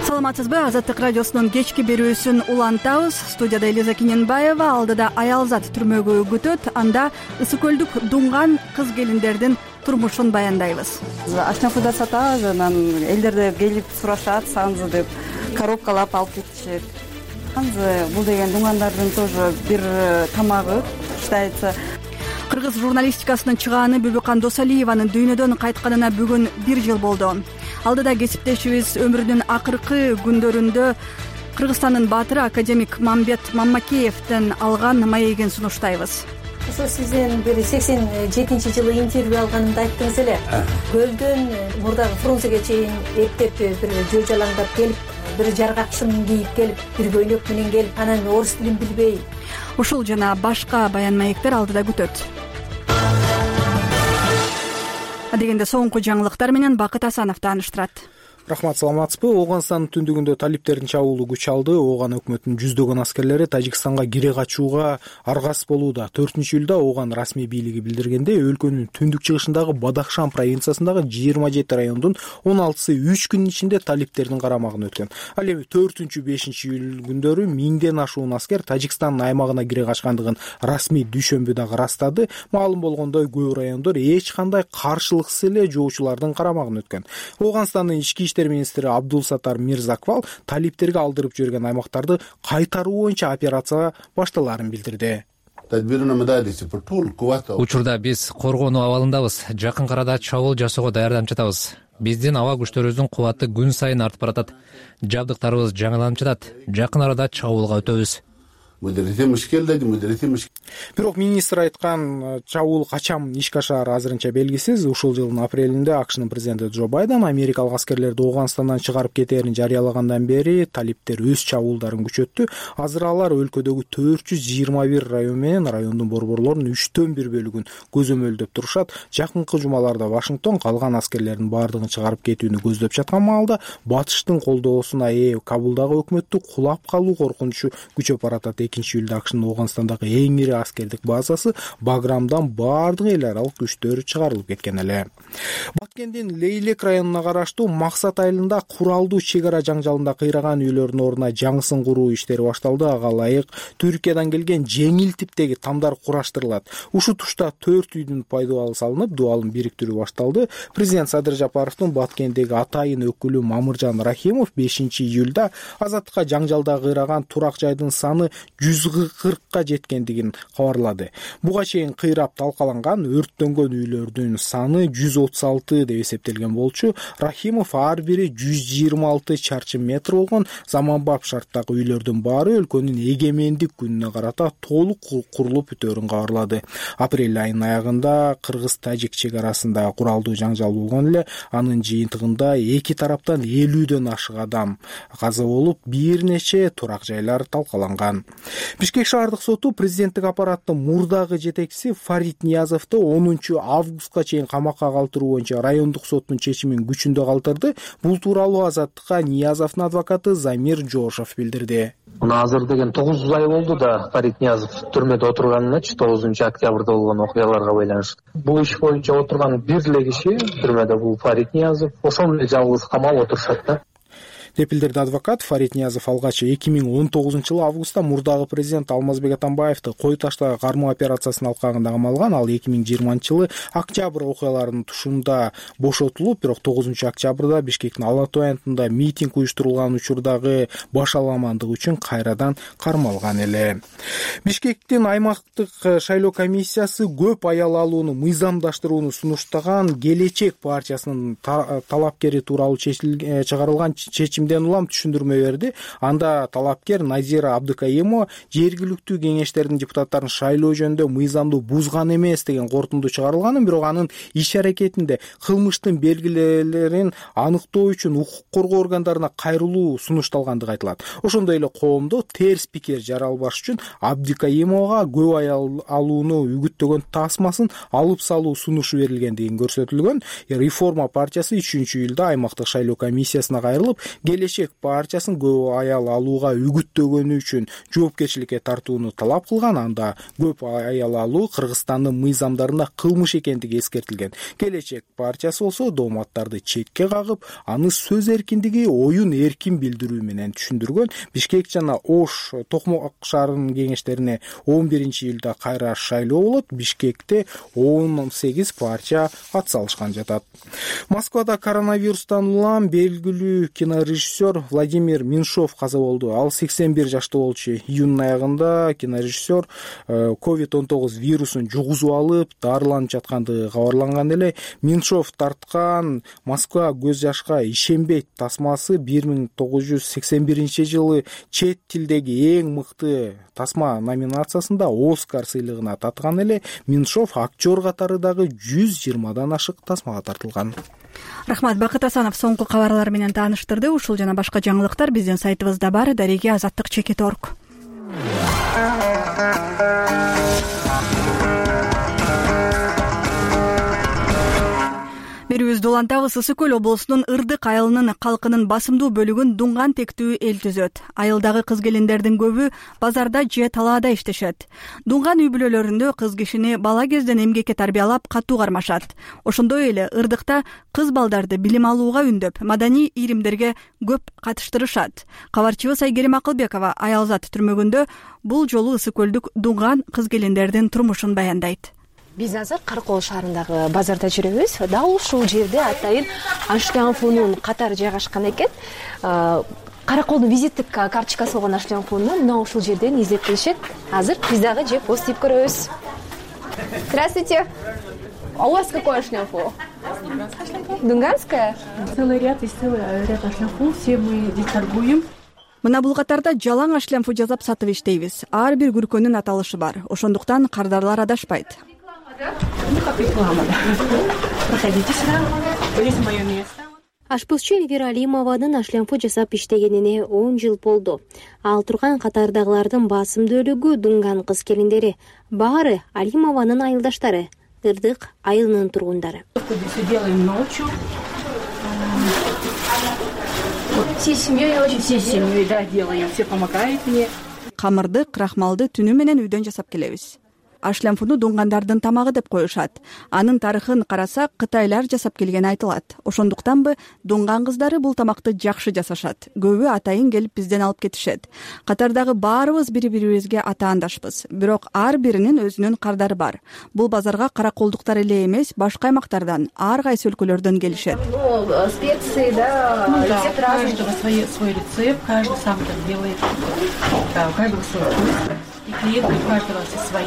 Саламатсызбы? Азаттык радиосунун кечки берүүсүн улантабыз. Студияда Элиза Киненбаева, алдыда Аялзат түрмөгө күтөт. Анда ысык көлдүк дуңган кыз келиндердин турмушун баяндайбыз. Ашнафуда сатабыз, анан элдер келип сурашат, санзы деп коробкалап алып кетишет. Санзы бул деген дуңгандардын тоже бир тамагы считается. Кыргыз журналистикасынын чыгааны Бүбүкан Досалиеванын дүйнөдөн кайтканына бүгүн бир жыл болду. Алдыда кесиптешибиз өмүрүнүн акыркы күндөрүндө Кыргызстандын баатыры академик Мамбет Маммакеевден алган маегин сунуштайбыз. Ошо сиздин бир сексен жетинчи жылы интервью алганымда айттыңыз эле. Көлдөн мурдагы Фрунзеге чейин эптеп бир жөө жалаңдап келип, бир жаргакчын кийип келип, бир көйнөк менен келип, анан орус тилин билбей. Ушул жана башка баян маектер алдыда күтөт. Адегенде соңку жаңылыктар менен Бакыт Асанов тааныштырат. Рахмат, саламатсызбы? Оганстандын түндүгүндө талиптердин чабуулу күч алды. Оган өкмөтүнүн жүздөгөн аскерлери Тажикстанга кире качууга аргасыз болууда. төртүнчү июлда Оган расмий бийлиги билдиргенде, өлкөнүн түндүк чыгышындагы Бадахшан провинциясындагы жыйырма жети райондун он алтысы үч күн ичинде талиптердин карамагына өткөн. Ал эми төртүнчү бешинчи июль күндөрү миңден ашуун аскер Тажикстандын аймагына кире качкандыгын расмий дүйшөмбү дагы ырастады. Маалым болгондой, көп райондор эч кандай каршылыксыз эле жоочулардын карамагына өткөн. Оганстандын ички министри Абдулсатар Мирзаквал талиптерге алдырып жиберген аймактарды кайтаруу боюнча операция башталарын билдирди. Учурда биз коргонуу абалындабыз. Жакын арада чабуул жасоого даярданып жатабыз. Биздин аба күчтөрүбүздүн кубаты күн сайын артып баратат. Жабдыктарыбыз жаңыланып жатат. Жакын арада чабуулга өтөбүз. Бирок министр айткан чабуул качан ишке ашаары азырынча белгисиз. Ушул жылдын апрелинде АКШнын президенти Джо Байден америкалык аскерлерди Оганстандан чыгарып кетээрин жарыялагандан бери талиптер өз чабуулдарын күчөттү. Азыр алар өлкөдөгү төрт жүз жыйырма бир район менен райондун борборлорунун үчтөн бир бөлүгүн көзөмөлдөп турушат. Жакынкы жумаларда Вашингтон калган аскерлердин баардыгын чыгарып кетүүнү көздөп жаткан маалда батыштын колдоосуна ээ Кабулдагы өкмөттү кулап калуу коркунучу күчөп баратат. экинчи июлда АКШнын Оганстандагы эң ири аскердик базасы Баграмдан баардык эл аралык күчтөр чыгарылып кеткен эле. Баткендин Лейлек районуна караштуу Максат айылында куралдуу чек ара жаңжалында кыйраган үйлөрдүн ордуна жаңысын куруу иштери башталды. Ага ылайык Түркиядан келген жеңил типтеги тамдар кураштырылат. Ушул тушта төрт үйдүн пайдубалы салынып, дубалын бириктирүү башталды. Президент Садыр Жапаровдун Баткендеги атайын өкүлү Мамыржан Рахимов бешинчи июлда Азаттыкка жаңжалда кыйраган турак жайдын саны жүз кыркка жеткендигин кабарлады. Буга чейин кыйрап талкаланган өрттөнгөн үйлөрдүн саны жүз отуз алты деп эсептелген болчу. Рахимов ар бири жүз жыйырма алты чарчы метр болгон заманбап шарттагы үйлөрдүн баары өлкөнүн эгемендик күнүнө карата толук курулуп бүтөөрүн кабарлады. Апрель айынын аягында кыргыз-тажик чек арасында куралдуу жаңжал болгон эле. Анын жыйынтыгында эки тараптан элүүдөн ашык адам каза болуп, бир нече турак жайлар талкаланган. Бишкек шаардык соту президенттик аппараттын мурдагы жетекчиси Фарид Ниязовду онунчу августка чейин камакка калтыруу боюнча райондук соттун чечимин күчүндө калтырды. Бул тууралуу Азаттыкка Ниязовдун адвокаты Замир Жошов билдирди. Мына азыр деген тогуз ай болду да Фарид Ниязов түрмөдө отурганыначы тогузунчу октябрда болгон окуяларга байланыштуу. Бул иш боюнча отурган бир эле киши түрмөдө бул Фарид Ниязов. Ошол эле жалгыз камалып отурушат да. деп билдирди адвокат. Фарид Ниязов алгач эки миң он тогузунчу жылы августта мурдагы президент Алмазбек Атамбаевди кой таштагы кармоо операциясынын алкагында камалган. Ал эки миң жыйырманчы жылы октябрь окуяларынын тушунда бошотулуп, бирок тогузунчу октябрда Бишкектин Ала Тоо аянтында митинг уюштурулган учурдагы башаламандык үчүн кайрадан кармалган эле. Бишкектин аймактык шайлоо комиссиясы көп аял алууну мыйзамдаштырууну сунуштаган Келечек партиясынын талапкери тууралуу чыгарылган чечим улам түшүндүрмө берди. Анда талапкер Назира Абдыкайымова жергиликтүү кеңештердин депутаттарын шайлоо жөнүндө мыйзамды бузган эмес деген корутунду чыгарылганын, бирок анын иш аракетинде кылмыштын белгилерин анықтоо үчүн укук коргоо органдарына кайрылуу сунушталгандыгы айтылат. Ошондой эле коомдо терс пикир жаралбаш үчүн Абдыкайымовага көп аял алууну үгүттөгөн тасмасын алып салуу сунушу берилгендиги көрсөтүлгөн. Реформа партиясы үчүнчү июлда аймактык шайлоо комиссиясына кайрылып, Келечек партиясын көп аял алууга үгүттөгөнү үчүн жоопкерчиликке тартууну талап кылган. Анда көп аял алуу Кыргызстандын мыйзамдарында кылмыш экендиги эскертилген. Келечек партиясы болсо дооматтарды четке кагып, аны сөз эркиндиги, оюн эркин билдирүү менен түшүндүргөн. Бишкек жана Ош Токмок шаарынын кеңештерине он биринчи июлда кайра шайлоо болот. Бишкекте он сегиз партия ат салышкан жатат. Москвада коронавирустан улам белгилүү кинорежиссер Владимир Меньшов каза болду. Ал сексен бир жашта болчу. Июнь аягында кинорежиссер ковид он тогуз вирусун жугузуп алып, дарыланып жаткандыгы кабарланган эле. Меньшов тарткан Москва көз жашка ишенбейт тасмасы бир миң тогуз жүз сексен биринчи жылы чет тилдеги эң мыкты тасма номинациясында Оскар сыйлыгына татыган эле. Меньшов актер катары дагы жүз жыйырмадан ашык тасмага тартылган. Рахмат. Бакыт Асанов соңку кабарлар менен тааныштырды. Ушул жана башка жаңылыктар биздин сайтыбызда бар. Дареги азаттык чекит точка орг. Берүүбүздү улантабыз. Ысык көл облусунун Ырдык айылынын калкынын басымдуу бөлүгүн дуңган тектүү эл түзөт. Айылдагы кыз келиндердин көбү базарда же талаада иштешет. Дуңган үй бүлөлөрүндө кыз кишини бала кезден эмгекке тарбиялап катуу кармашат. Ошондой эле Ырдыкта кыз балдарды билим алууга үндөп, маданий ийримдерге көп катыштырышат. Кабарчыбыз Айгерим Акылбекова Аялзат түрмөгүндө бул жолу ысык көлдүк дуңган кыз келиндердин турмушун баяндайт. Биз азыр Каракол шаарындагы базарда жүрөбүз. Дал ушул жерде атайын Ашлянфунун катары жайгашкан экен. Караколдун визиттик карточкасы болгон Ашлянфунну мына ушул жерден издеп келишет. Азыр биз дагы жеп озтип көрөбүз. Здравствуйте. А у вас какой Ашлянфу? Дунганская? Целый ряд и целый ряд Ашлянфу. Все мы здесь торгуем. Мына бул катарда жалаң ашлянфу жасап сатып иштейбиз. Ар бир күркөнүн аталышы бар. Ошондуктан кардарлар адашпайт. Проходите сюда. Здесь моё место. Ашпызчы Эльвира Алимованын ашлянфу жасап иштегенине он жыл болду. Ал турган катардагылардын басымдуу бөлүгү дуңган кыз келиндери. Баары Алимованын айылдаштары, Ырдык айылынын тургундары. Делаем ночью. Всей семьей, очень всей семьей, да, делаем. Все помогает мне. Камырды, крахмалды түнү менен үйдөн жасап келебиз. Ашлянфуну дуңгандардын тамагы деп коюшат. Анын тарыхын карасак, кытайлар жасап келгени айтылат. Ошондуктанбы дуңган кыздары бул тамакты жакшы жасашат. Көбү атайын келип бизден алып кетишет. Катардагы баарыбыз бири-бирибизге атаандашпыз. Бирок ар биринин өзүнүн кардары бар. Бул базарга караколдуктар эле эмес, башка аймактардан, ар кайсы өлкөлөрдөн келишет. Ну, специи, да, ну, да, у каждого свой, свой рецепт, каждый сам так делает. Да, у каждого свой вкус. И клиенты у каждого свои.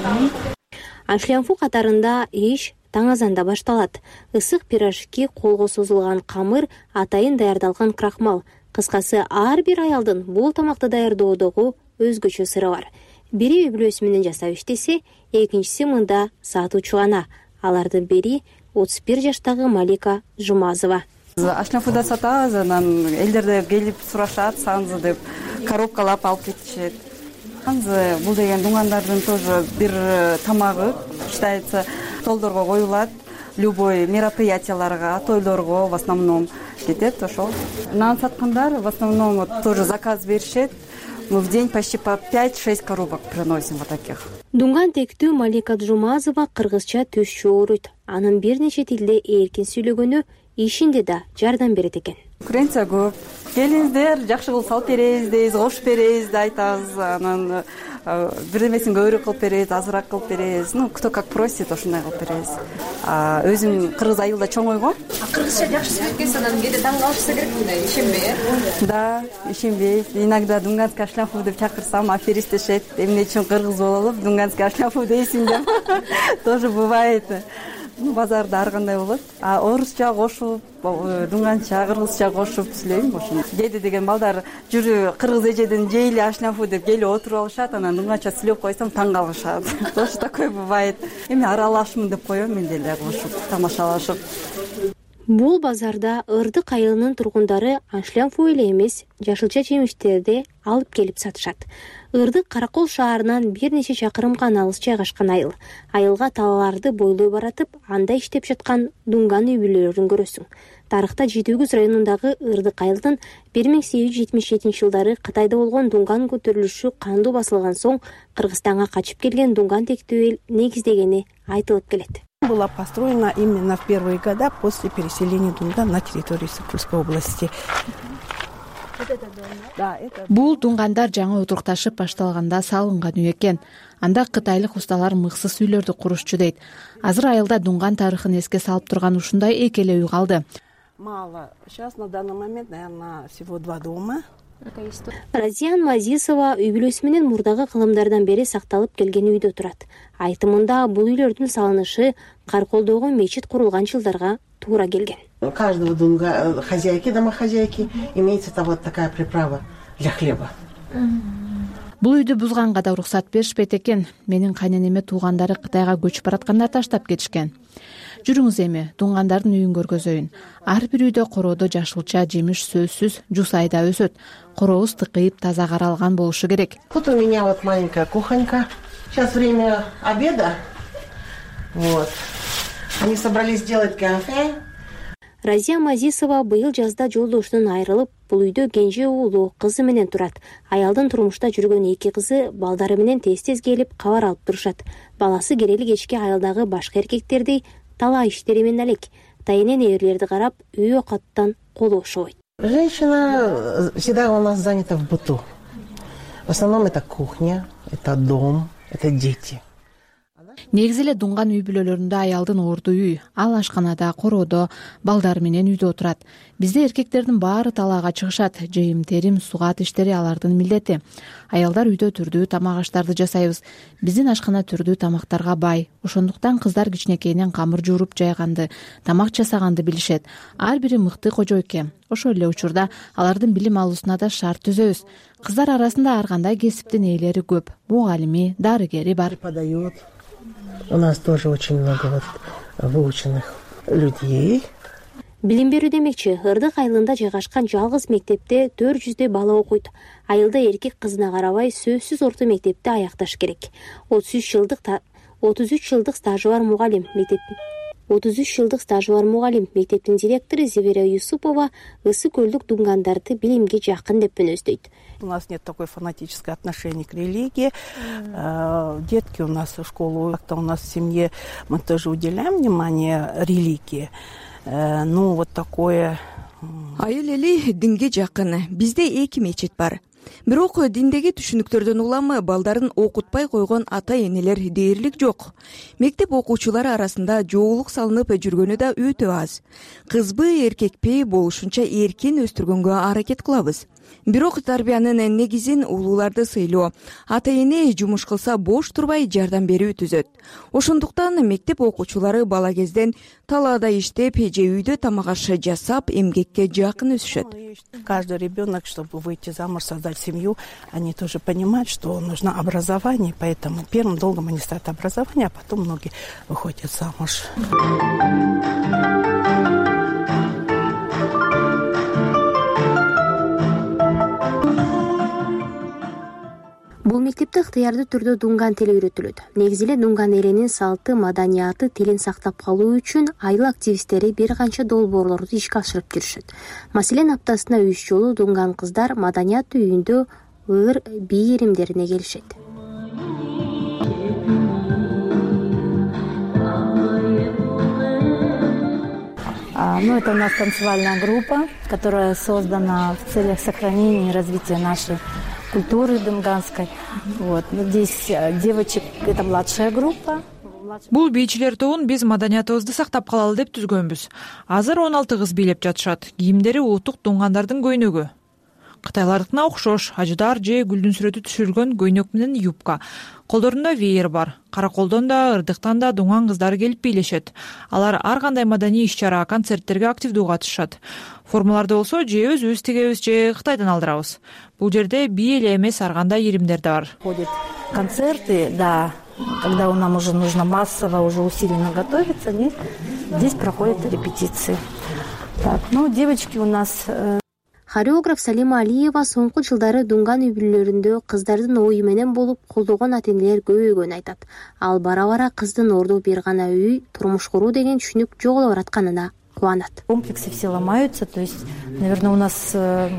Ашлянфу катарында иш таң азанда башталат. Ысык пирожки, колго созулган камыр, атайын даярдалган крахмал. Кыскасы, ар бир аялдын бул тамакты даярдоодогу өзгөчө сыры бар. Бири үй бүлөсү менен жасап иштесе, экинчиси мында сатуучу гана. Алардын бири отуз бир жаштагы Малика Жумазова. Ашлянфуда сатабыз, анан элдер келип сурашат, саңзы деп коробкалап алып кетишет. анзы бул деген дуңгандардын тоже бир тамагы считается, столдорго коюлат, любой мероприятияларга, тойлорго в основном кетет ошол. Нан саткандар в основном тоже заказ беришет. Мы в день почти по пять-шесть коробок приносим вот таких. Дуңган тектүү Малика Жумазова кыргызча түз чогуруйт. Анын бир нече тилде эркин сүйлөгөнү ишинде да жардам берет экен. Конкуренция көп. Келиңиздер, жакшы кылып салып беребиз дейбиз, кош беребиз деп айтабыз. Анан бирдемесин көбүрөөк кылып беребиз, азыраак кылып беребиз. Ну, кто как просит, ошондой кылып беребиз. Өзүм кыргыз айылда чоңойгом. Кыргызча жакшы сүйлөткөн анан кээде таң калышса керек мындай ишенбей, э? Да, ишенбей. Иногда дуңганский ашляфу деп чакырсам, аферистешет. Эмне үчүн кыргыз болуп, дуңганский ашляфу дейсиң деп. Тоже бывает. Базарда ар кандай болот. А орусча кошуп, дуңганча, кыргызча кошуп сүйлөйм ошону. Кээде деген балдар жүрү кыргыз эжеден жейли ашляфу деп келип отуруп алышат, анан дуңганча сүйлөп койсом таң калышат. Тоже такой бывает. Эми аралашмын деп коем мен деле кошуп, тамашалашып. Бул базарда Ырдык айылынын тургундары ашляфу эле эмес, жашылча жемиштерди алып келип сатышат. Ырдык Каракол шаарынан бир нече чакырым гана алыс жайгашкан айыл. Айылга талааларды бойлой баратып, анда иштеп жаткан дуңган үй бүлөлөрүн көрөсүң. Тарыхта Жети Өгүз районундагы Ырдык айылдын бир миң сегиз жүз жетимиш жетинчи жылдары Кытайда болгон дуңган көтөрүлүшү кандуу басылган соң Кыргызстанга качып келген дуңган тектүү эл негиздегени айтылып келет. Была построена именно в первые года после переселения Дунган на территорию Сыкульской области. Бул дуңгандар жаңы отурукташып башталганда салынган үй экен. Анда кытайлык усталар мыксыз үйлөрдү курушчу дейт. Азыр айылда дуңган тарыхын эске салып турган ушундай эки эле үй калды. Мало. Сейчас на данный момент, наверное, всего два дома. Разиян Мазисова үй бүлөсү менен мурдагы кылымдардан бери сакталып келген үйдө турат. Айтымында бул үйлөрдүн салынышы Карколдогу мечит курулган жылдарга туура келген. У каждого дунга хозяйки, домохозяйки имеется вот такая приправа для хлеба. Бул үйдү бузганга да уруксат беришпейт экен. Менин кайненеме туугандары Кытайга көчүп баратканда таштап кетишкен. Жүрүңүз эми дуңгандардын үйүн көргөзөйүн. Ар бир үйдө короодо жашылча жемиш сөзсүз жуз айда өсөт. Корообуз тыкыйып таза каралган болушу керек. Вот у меня вот маленькая кухонька. Сейчас время обеда. Вот. Они собрались делать кафе. Разия Мазисова быйыл жазда жолдошунан айрылып, бул үйдө кенже уулу кызы менен турат. Аялдын турмушта жүргөн эки кызы балдары менен тез-тез келип кабар алып турушат. Баласы керели кечке айылдагы башка эркектерди талаа иштери менен элек. Тайынен эрлерди карап, үй окаттан колу ошобойт. Женщина всегда у нас занята в быту. В основном это кухня, это дом, это дети. Негизи эле дуңган үй бүлөлөрүндө аялдын орду үй, ал ашканада, короодо, балдары менен үйдө отурат. Бизде эркектердин баары талаага чыгышат. Жыйым терим, сугат иштери алардын милдети. Аялдар үйдө түрдүү тамак аштарды жасайбыз. Биздин ашкана түрдүү тамактарга бай. Ошондуктан кыздар кичинекейинен камыр жууруп жайганды, тамак жасаганды билишет. Ар бири мыкты кожойке. Ошол эле учурда алардын билим алуусуна да шарт түзөбүз. Кыздар арасында ар кандай кесиптин ээлери көп. Мугалими, дарыгери бар. У нас тоже очень много вот выученных людей. Билим берүү демекчи, Ырдык айылында жайгашкан жалгыз мектепте төрт жүздөй бала окуйт. Айылда эркек кызына карабай сөзсүз орто мектепти аякташ керек. отуз үч жылдык отуз үч жылдык стажы бар мугалим мектептин отуз үч жылдык стажы бар мугалим мектептин директору Зебера Юсупова ысы көлдүк дуңгандарды билимге жакын деп мүнөздөйт. У нас нет такой фанатическое отношение к религии. Детки у нас в школу, как-то у нас в семье мы тоже уделяем внимание религии. Ну, вот такое... Айыл эли динге жакын. Бизде эки мечит бар. Бирок диндеги түшүнүктөрдөн улам балдарын окутпай койгон ата-энелер дээрлик жок. Мектеп окуучулары арасында жоолук салынып жүргөнү да өтө аз. Кызбы, эркекпи болушунча эркин өстүргөнгө аракет кылабыз. Бирок тарбиянын негизин улууларды сыйлоо, ата-эне жумуш кылса бош турбай жардам берүү түзөт. Ошондуктан мектеп окуучулары бала кезден талаада иштеп же үйдө тамак аш жасап эмгекке жакын өсүшөт. Каждый ребенок, чтобы выйти замуж, создать семью, они тоже понимают, что нужно образование, поэтому первым долгом они ставят образование, а потом многие выходят замуж. Бул бул мектепте ыктыярдуу түрдө дунган тили үйрөтүлөт. Негизи эле дунган элинин салты, маданияты, тилин сактап калуу үчүн айыл активисттери бир канча долбоорлорду ишке ашырып жүрүшөт. Маселен, аптасына үч жолу дунган кыздар маданият үйүндө ыр бий иримдерине келишет. Ну, это у нас танцевальная группа, которая создана в целях сохранения и развития нашей культуры дунганской. Вот. Здесь девочек, это младшая группа. Бул бийчилер тобун биз маданиятыбызды сактап калалы деп түзгөнбүз. Азыр он алты кыз бийлеп жатышат. Кийимдери улуттук дунгандардын көйнөгү. Кытайлардыкына окшош, ажыдар же гүлдүн сүрөтү түшүрүлгөн көйнөк менен юбка. Колдорунда веер бар. Караколдон да, ырдыктан да дунган кыздары келип бийлешет. Алар ар кандай маданий иш-чара, концерттерге активдүү катышышат. Формаларды болсо же өзүбүз тигебиз, же Кытайдан алдырабыз. Бул жерде бий эле эмес ар кандай иримдер да бар. Ходят концерты, да, когда нам уже нужно массово, уже усиленно готовиться, здесь проходят репетиции. Так, ну, девочки у нас... Хореограф Салима Алиева соңку жылдары дунган үй-бүлөлөрүндө кыздардын ою менен болуп колдогон ата-энелер көбөйгөнүн айтат. Ал бара-бара кыздын орду бир гана үй, турмуш куруу деген түшүнүк жоголо баратканына кубанат. Комплексы все ломаются, то есть, наверное, у нас в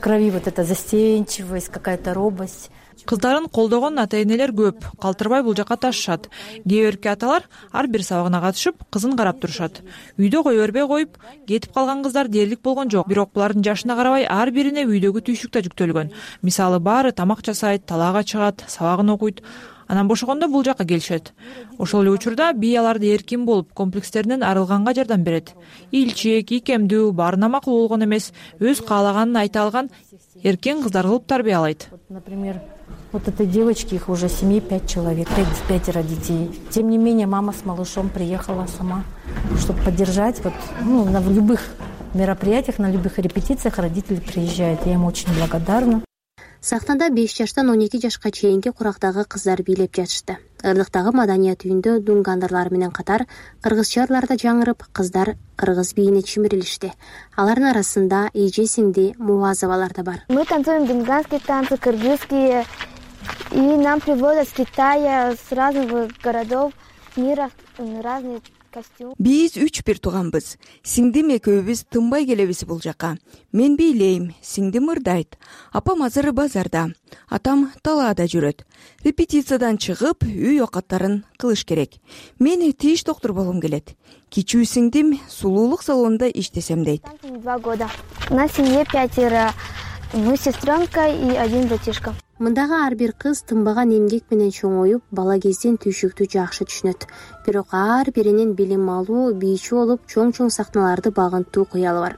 крови вот эта застенчивость, какая-то робость. Кыздарын колдогон ата-энелер көп, калтырбай бул жака ташышат. Кээ бирки аталар ар бир сабагына катышып, кызын карап турушат. Үйдө кое бербей коюп, кетип калган кыздар дээрлик болгон жок. Бирок булардын жашына карабай ар бирине үйдөгү түйшүк да жүктөлгөн. Мисалы, баары тамак жасайт, талаага чыгат, сабагын окуйт. Анан бошогондо бул жака келишет. Ошол эле учурда бий аларды эркин болуп, комплекстеринен арылганга жардам берет. Илчек, икемдүү, баарына макул болгон эмес, өз каалаганын айта алган эркин кыздар кылып тарбиялайт. Например, вот этой девочке, их уже в семье пять человек, пятеро детей. Тем не менее, мама с малышом приехала сама, чтобы поддержать. Вот, ну, на любых мероприятиях, на любых репетициях родители приезжают. Я им очень благодарна. Сахтанда беш жаштан он эки жашка чейинки курактагы кыздар бийлеп жатышты. Ырдыктагы маданият үйүндө дунгандарлар менен катар кыргызчалар да жаңырып, кыздар кыргыз бийине чимирилишти. Алардын арасында эже сиңди Муазовалар да бар. Мы танцуем дунганские танцы, кыргызские, и нам приводят с Китая, с разных городов мира разные костюмы. Биз үч бир тууганбыз. Сиңдим экөөбүз тынбай келебиз бул жака. Мен бийлейм, сиңдим ырдайт. Апам азыр базарда, атам талаада жүрөт. Репетициядан чыгып, үй окаттарын кылыш керек. Мен тиш доктор болгум келет. Кичүү сиңдим сулуулук салонунда иштесем дейт. Два года. У нас в семье пятеро. Мы сестренка и один братишка. Мындагы ар бир кыз тынбаган эмгек менен чоңоюп, бала кезден түйшүктү жакшы түшүнөт. Бирок ар биринин билим алуу, бийчи болуп, чоң-чоң сахналарды багынтуу кыялы бар.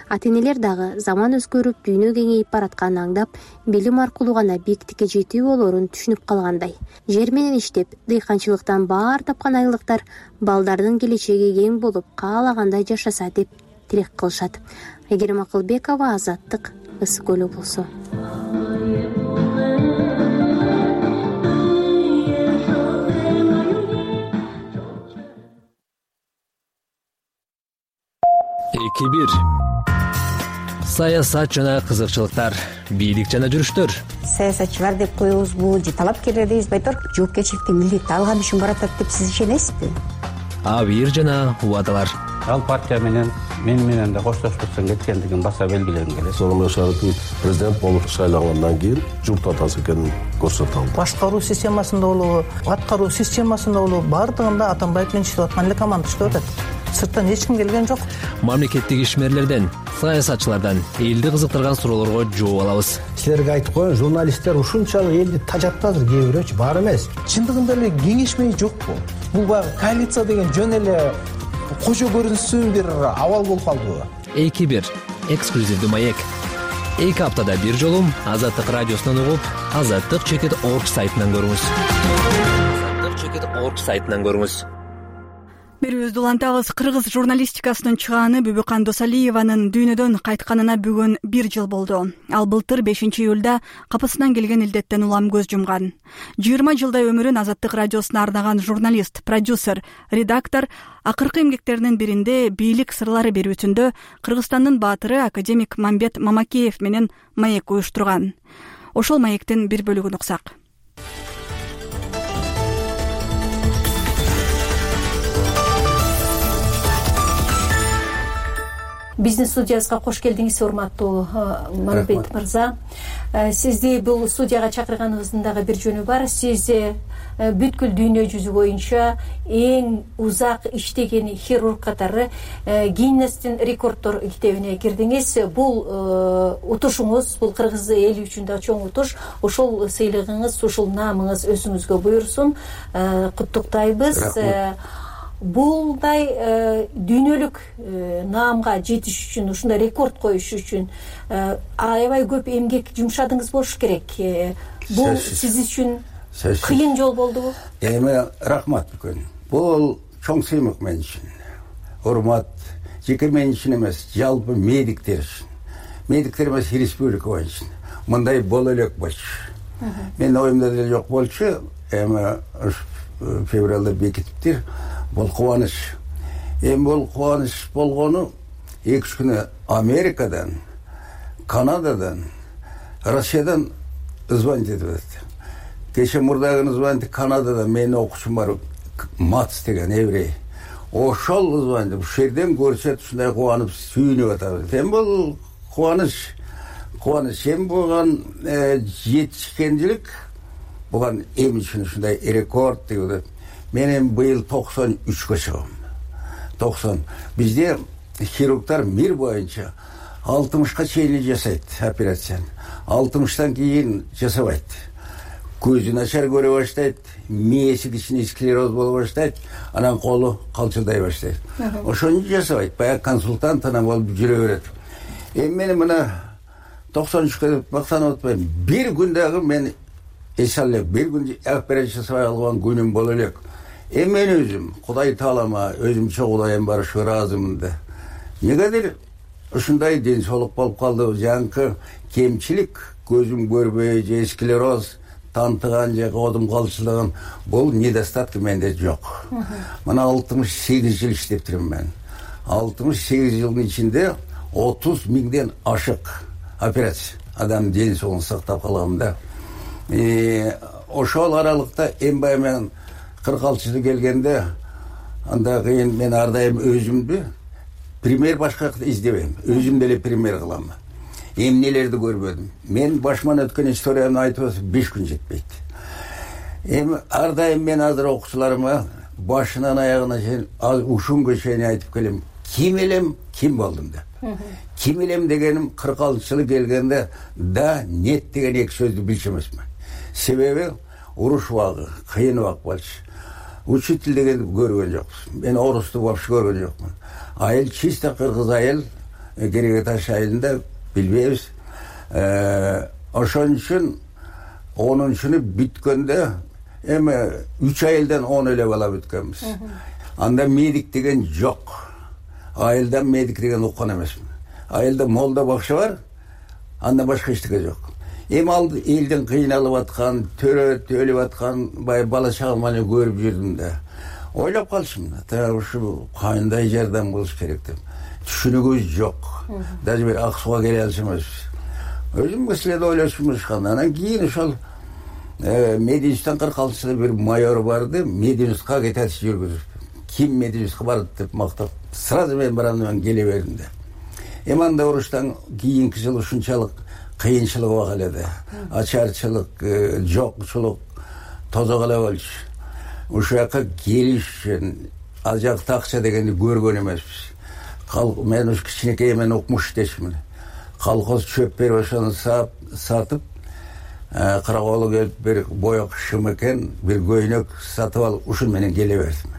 Ата-энелер дагы заман өзгөрүп, дүйнө кеңейип баратканын аңдап, билим аркылуу гана биктикке жетүү болоорун түшүнүп калгандай. Жер менен иштеп, дыйканчылыктан баар тапкан айылдыктар балдардын келечеги кең болуп, каалагандай жашаса деп тилек кылышат. Айгерим Акылбекова, Азаттык, Ысык көлү болсо. эки бир саясат жана кызыкчылыктар, бийлик жана жүрүштөр. Саясатчылар деп коебузбу же талапкерлер дейбизби, айтор жоопкерчиликти милдетти алган үчүн баратат деп сиз ишенесизби? Абийир жана убадалар. Ал партия менен мен менен да коштошпостон кеткендигин баса белгилегим келет. Сооронбай Шарипович президент болуп шайлангандан кийин журт атасы экенин көрсөтө алды. Башкаруу системасында болобу, аткаруу системасында болобу, баардыгында Атамбаев менен иштеп аткан эле команда иштеп атат. Сырттан эч ким келген жок. Мамлекеттик ишмерлерден, саясатчылардан элди кызыктырган суроолорго жооп алабыз. Силерге айтып коеюн, журналисттер ушунчалык элди тажатты азыр, кээ бирөөчү бар эмес. Чындыгында эле кеңешмей жокпу? Бул баягы коалиция деген жөн эле кожо көрүнсүн бир абал болуп калдыбы? эки бир эксклюзивдүү маек. эки аптада бир жолу Азаттык радиосунан угуп, азаттык чекит орг сайтынан көрүңүз. азаттык чекит орг сайтынан көрүңүз. Берүүбүздү улантабыз. Кыргыз журналистикасынын чыгааны Бүбүкан Досалиеванын дүйнөдөн кайтканына бүгүн бир жыл болду. Ал былтыр бешинчи июлда капысынан келген илдеттен улам көз жумган. жыйырма жылдай өмүрүн Азаттык радиосуна арнаган журналист, продюсер, редактор акыркы эмгектеринин биринде бийлик сырлары берүүсүндө Кыргызстандын баатыры академик Мамбет Мамакеев менен маек уюштурган. Ошол маектин бир бөлүгүн уксак. биздин студиябызга кош келдиңиз, урматтуу Мамбет мырза. Сизди бул студияга чакырганыбыздын дагы бир жөнү бар. Сиз бүткүл дүйнө жүзү боюнча эң узак иштеген хирург катары Гиннестин рекорддор китебине кирдиңиз. Бул утушуңуз, бул кыргыз эли үчүн да чоң утуш. Ошол сыйлыгыңыз, ушул наамыңыз өзүңүзгө буйрсун. Куттуктайбыз. Булдай дүйнөлүк наамга жетиш үчүн, ушундай рекорд коюш үчүн аябай көп эмгек жумшадыңыз болуш керек. Бул сиз үчүн кыйын жол болдубу? Эми рахмат бүкөн. Бул чоң сыймык мен үчүн. Урмат жеке мен үчүн эмес, жалпы медиктер үчүн. Медиктер эмес, республика боюнча. Мындай боло элек болчу. Мен оюмда деле жок болчу. Эми февралда бекитиптир. Бул кубаныч. Эми бул кубаныч болгону эки үч күнү Америкадан, Канададан, Россиядан звонить этип атат. Кече мурдагы звонить Канададан менин окуучум бар, Мац деген еврей. Ошол звонить, ушул жерден көрсөт ушундай кубанып сүйүнүп атат. Эми бул кубаныч, кубаныч эми буган жетишкенчилик, буган эми үчүн ушундай рекорд деп атат. Мен эми быйыл токсон үчкө чыгам. токсон. Бизде хирургдар мир боюнча алтымышка чейин жасайт операцияны. алтымыштан кийин жасабайт. Көзү начар көрө баштайт, мээси кичине склероз боло баштайт, анан колу калчылдай баштайт. Ошону жасабайт. Баягы консультант анан болуп жүрө берет. Эми мен мына токсон үчкө деп мактанып атпайм. Бир күн дагы мен эс алып, бир күн операция жасабай алган күнүм боло элек. Эми мен өзүм Кудай таалама өзүмчө Кудайым бар ушу ыраазымын да. Негедир ушундай ден соолук болуп калды, жанкы кемчилик, көзүм көрбөй же склероз, тантыган же кодум калчылыгын, бул недостатки менде жок. Мына алтымыш сегиз жыл иштептирмин мен. алтымыш сегиз жылдын ичинде отуз миңден ашык операция. Адам ден соолугун сактап калгам да. Ошол аралыкта эми баягы мен кырк алты жылы келгенде, анда кийин мен ар дайым өзүмдү пример башка издебейм. Өзүм деле пример кылам. Эмнелерди көрбөдүм. Мен башыман өткөн историяны айтып атсам беш күн жетпейт. Эми ар дайым мен азыр окуучуларыма башынан аягына чейин ушунгө чейин айтып келем. Ким элем, ким болдум деп. Ким элем дегеним кырк алты жылы келгенде да, нет деген эки сөздү билчү эмесмин. Себеби уруш убагы, кыйын убак болчу. Учитель деген көргөн жокпуз. Мен орусту вообще көргөн жокмун. Айыл чисто кыргыз айыл, Кереге таш айылында билбейбиз. Ошон үчүн онунчуну бүткөндө эми үч айылдан он эле бала бүткөнбүз. Анда медик деген жок. Айылда медик деген уккан эмесмин. Айылда молда бакча бар, андан башка эчтеке жок. Эми ал элдин кыйналып аткан, төрөт өлүп аткан бай бала чагам эле көрүп жүрдүм да. Ойлоп калчумун, та ушу кандай жардам болуш керек деп. Түшүнүгүбүз жок. Даже бир ак сууга келе алчу эмеспиз. Өзүм кесиледе ойлошмушкан. Анан кийин ошол Мединстан кырк алты жылы бир майор барды, Мединстка кетет жүргүзүп. Ким Мединстка барды деп мактап, сразу мен барам мен келе бердим да. Эми анда уруштан кийинки жыл ушунчалык кыйынчылык бар эле. Ачарчылык, жокчулук тозок эле болчу. Ушул жака келиш үчүн ал жакта акча дегенди көргөн эмеспиз. Мен ушу кичинекей мен укмуш дечмин. Колхоз чөп берип ошону сатып, караколу келип бир боек шымыкен, бир көйнөк сатып алып, ушун менен келе бердим.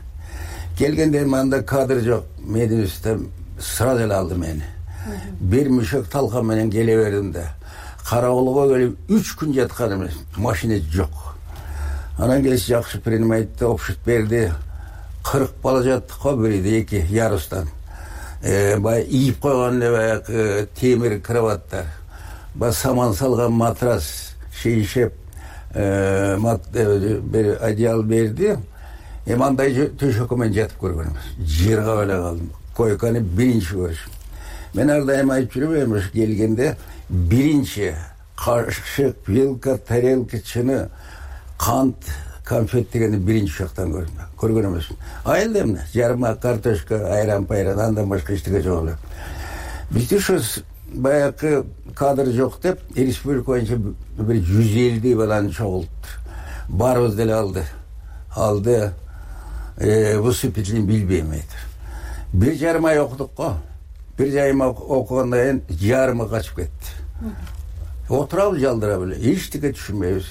Келгенде мында кадр жок. Мединстан сразу эле алды мени. Бир мүшөк талкан менен келе бердим да. Караколго келип үч күн жаткан эмес, машина жок. Анан келип жакшы принимайтты опшут берди. кырк бала жаттык го, бириде эки ярустан. Бай ийип койгон эле баягы темир кроваттар. Ба саман салган матрас, шейшеп, бир одеял берди. Эми андай төшөккө мен жатып көргөн эмес. Жыргап эле калдым. Койканы биринчи көрүшүм. Мен ар дайым айтып жүрөм, ушу келгенде биринчи кашык, вилка, тарелка, чыны, кант, конфет дегенди биринчи жактан көрдүм. Көргөн эмесмин. Айылда эмне? Жарма, картошка, айран-пайран, андан башка эчтеке жок эле. бизде ушу баягы кадр жок деп республика боюнча бир жүз элүү баланы чогултту. Барыбыз деле алды. Алды выступительный билбейм айтыр. Бир жарым ай окудук го. Бир жарым ай окугандан кийин жарымы качып кетти. Отурабыз жалдырап эле, эчтеке түшүнбөйбүз.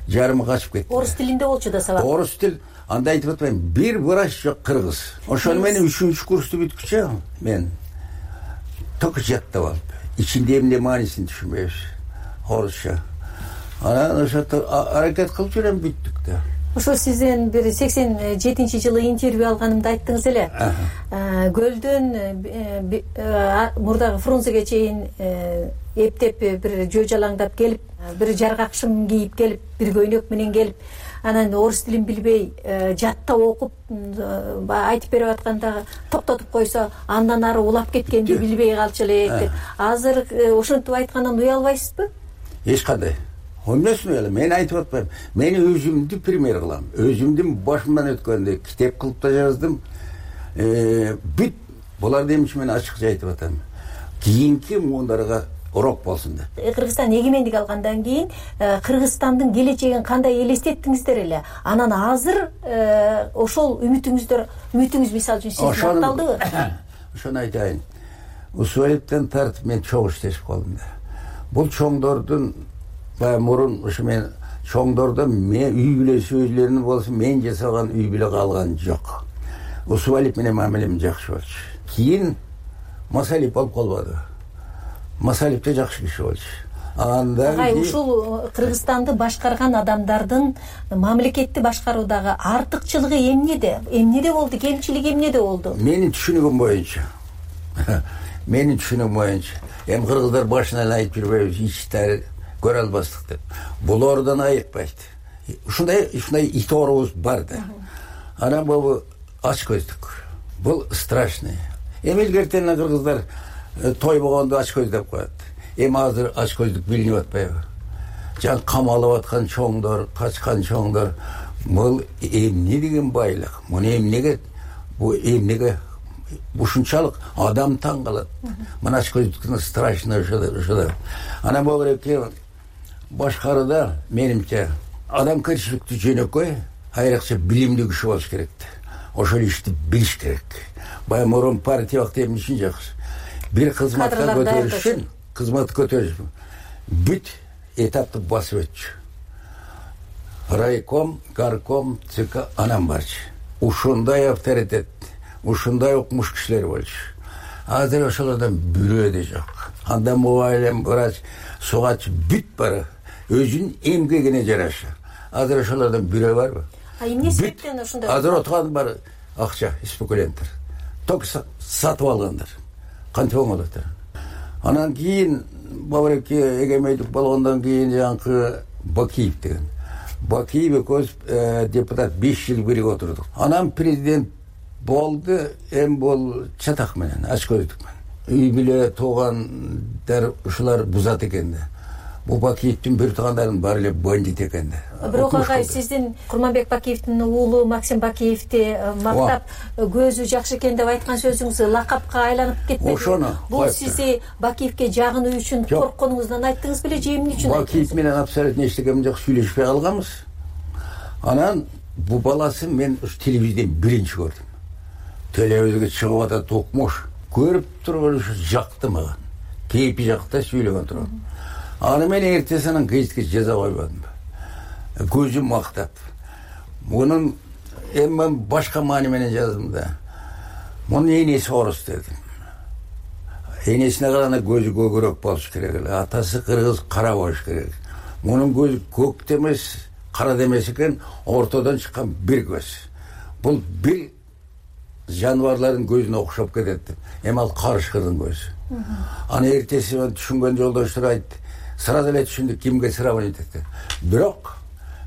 Жарымы качып кетти. Орус тилинде болчу да сабак. Орус тил. Анда айтып атпайм, бир врач жок кыргыз. Ошону менен үчүнчү курсту бүткүчө мен только жаттап алып, ичинде эмне маанисин түшүнбөйбүз. Орусча. Анан ошо аракет кылып жүрөм, бүттүк да. Ошо сизден бир сексен жетинчи жылы интервью алганымда айттыңыз эле. Көлдөн мурдагы Фрунзеге чейин эптеп бир жөө жалаңдап келип, бир жаргак шым кийип келип, бир көйнөк менен келип, анан орус тилин билбей жаттап окуп айтып берип атканда токтотуп койсо, андан ары улап кеткенди билбей калчу элек. Азыр ошентип айткандан уялбайсызбы? Эч кандай. Эмнесин эле мен айтып атпайм. Мен өзүмдү пример кылам. Өзүмдүн башымдан өткөндү китеп кылып да жаздым. Бүт буларды эмче мен ачыкча айтып атам. Кийинки муундарга урок болсун деп. Кыргызстан эгемендик алгандан кийин Кыргызстандын келечегин кандай элестеттиңиздер эле? Анан азыр ошол үмүтүңүздөр, үмүтүңүз мисалы үчүн сиздин акталдыбы? Ошону айтайын. Усуалиптен тартып мен чоң иштешип калдым да. Бул чоңдордун баягы мурун ушу мен чоңдордо мен үй бүлө сөзлөрүн болсо мен жасаган үй бүлө калган жок. Усуалип менен мамилем жакшы болчу. Кийин Масалип болуп калбады. Масалип да жакшы киши болчу. Андан кийин ушул Кыргызстанды башкарган адамдардын мамлекетти башкаруудагы артыкчылыгы эмнеде? Эмнеде болду? Кемчилиги эмнеде болду? Менин түшүнүгүм боюнча. Менин түшүнүгүм боюнча. Эми кыргыздар башынан айтып жүрбөйбүз, ичтери көрө албастык деп. Булардан айыкпайт. Ушундай, ушундай ит оорубуз бар да. Анан бул ач көздүк. Бул страшный. Эми илгертен кыргыздар той болгондо ач көз деп коет. Эми азыр ач көздүк билинип атпайбы? Жан камалып аткан чоңдор, качкан чоңдор, бул эмне деген байлык? Муну эмнеге, бу эмнеге ушунчалык адам таң калат. Мына ач көздүктүн страшный ошо. Анан бул керек башкарууда менимче адамкерчиликтүү жөнөкөй, айрыкча билимдүү киши болуш керек. Ошол ишти билиш керек. Баягы мурун партия вакыты эмне үчүн жакшы? Бир кызматка көтөрүш үчүн, кызмат көтөрүш бүт этапты басып өтчү. Райком, горком, ЦК анан барчы. Ушундай авторитет, ушундай окумуш кишилер болчу. Азыр ошолордон бирөө да жок. Анда мугалим, врач, сугач бүт бар. Өзүнүн эмгегине жараша. Азыр ошолордон бирөө барбы? А эмне себептен ушундай? Азыр отурган бар акча, спекулянттар. Ток сатып алгандар. Кантип оңолот? Анан кийин Бабареке эгемендик болгондон кийин жанкы Бакиев деген. Бакиев экөөбүз депутат беш жыл бирге отурдук. Анан президент болду, эми бул чатак менен, ач көздүк менен. Үй бүлө туугандар ушулар бузат экен да. Бул Бакиевдин бир туугандарынын баары эле бандит экен да. Бирок агай сиздин Курманбек Бакиевдин уулу Максим Бакиевди мактап көзү жакшы экен деп айткан сөзүңүз лакапка айланып кетпеди. Ошону бул сизди Бакиевге жагынуу үчүн коркконуңуздан айттыңыз беле же эмне үчүн? Бакиев менен абсолютно эчтекем жок, сүйлөшпөй калганбыз. Анан бул баласын мен ушу телевизордон биринчи көрдүм. Телевизорго чыгып атат укмуш. Көрүп турган ушу жакты мага. Кейпи жакта сүйлөгөн турат. Аны мен эртесинен кечке жаза койбодум. Көзүм мактап. Мунун эми мен башка маани менен жаздым да. Мунун энеси орус дедим. Энесине караганда көзү көгөрөөк болуш керек эле. Атасы кыргыз, кара болуш керек. Мунун көзү көк демес, кара демес экен, ортодон чыккан бир көз. Бул бир жаныбарлардын көзүнө окшоп кетет. Эми ал карышкырдын көзү. Аны эртеси түшүнгөн жолдоштор айтты. Сразу эле түшүндүк кимге сравнить эткен. Бирок,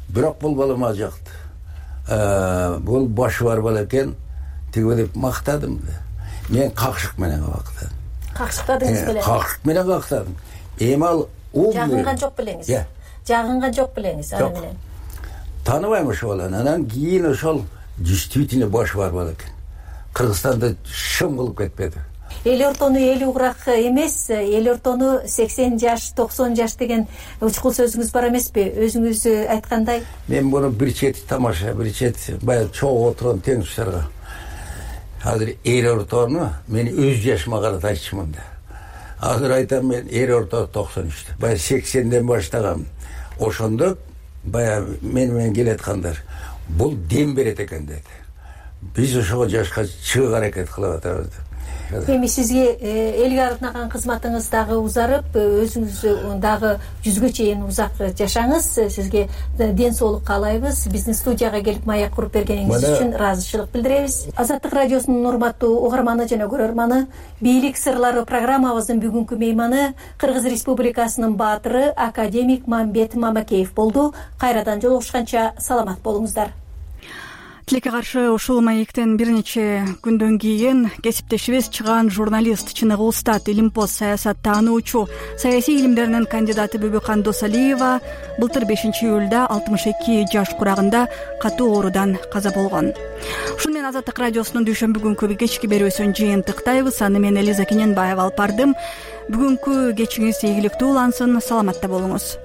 бирок бул бала мага жакты. Бул башы бар бала экен, тиги деп мактадым да. Мен какшык менен мактадым. Какшыктадыңыз беле? Какшык менен мактадым. Эми ал ул жагынган жок белеңиз. Жагынган жок белеңиз аны менен. Тааныбайм ошол баланы. Анан кийин ошол действительно башы бар бала экен. Кыргызстанда шым кылып кетпеди. эл ортону эл угурак эмес, эл ортону сексен жаш токсон жаш деген учкул сөзүңүз бар эмеспи? Өзүңүз айткандай. Мен буну бир чети тамаша, бир чети баягы чогуу отурган тең туштарга азыр эл ортону мен өз жашыма карата айтчумун да. Азыр айтам, мен эл орто токсон үчтө. Баягы сексенден баштагам. Ошондо баягы мен менен келаткандар бул дем берет экен деди. Биз ошого жашка чыгууга аракет кылып атабыз. Эми сизге элге арнаган кызматыңыз дагы узарып, өзүңүз дагы жүзгө чейин узак жашаңыз. Сизге ден соолук каалайбыз. Биздин студияга келип маек куруп бергениңиз үчүн ыраазычылык билдиребиз. Азаттык радиосунун урматтуу угарманы жана көрөрманы, бийлик сырлары программабыздын бүгүнкү мейманы Кыргыз Республикасынын баатыры академик Мамбет Мамакеев болду. Кайрадан жолугушканча саламат болуңуздар. Тилекке каршы ушул маектен бир нече күндөн кийин кесиптешибиз чыган журналист, чыныгы устат, илимпоз, саясат таануучу, саясий илимдеринин кандидаты Бүбүкан Досалиева былтыр бешинчи июлда алтымыш эки жаш курагында катуу оорудан каза болгон. Ушуну менен Азаттык радиосунун дүйшөмбү күнкү кечки берүүсүн жыйынтыктайбыз. Аны мен Элиза Кененбаева алып бардым. Бүгүнкү кечиңиз ийгиликтүү улансын, саламатта болуңуз.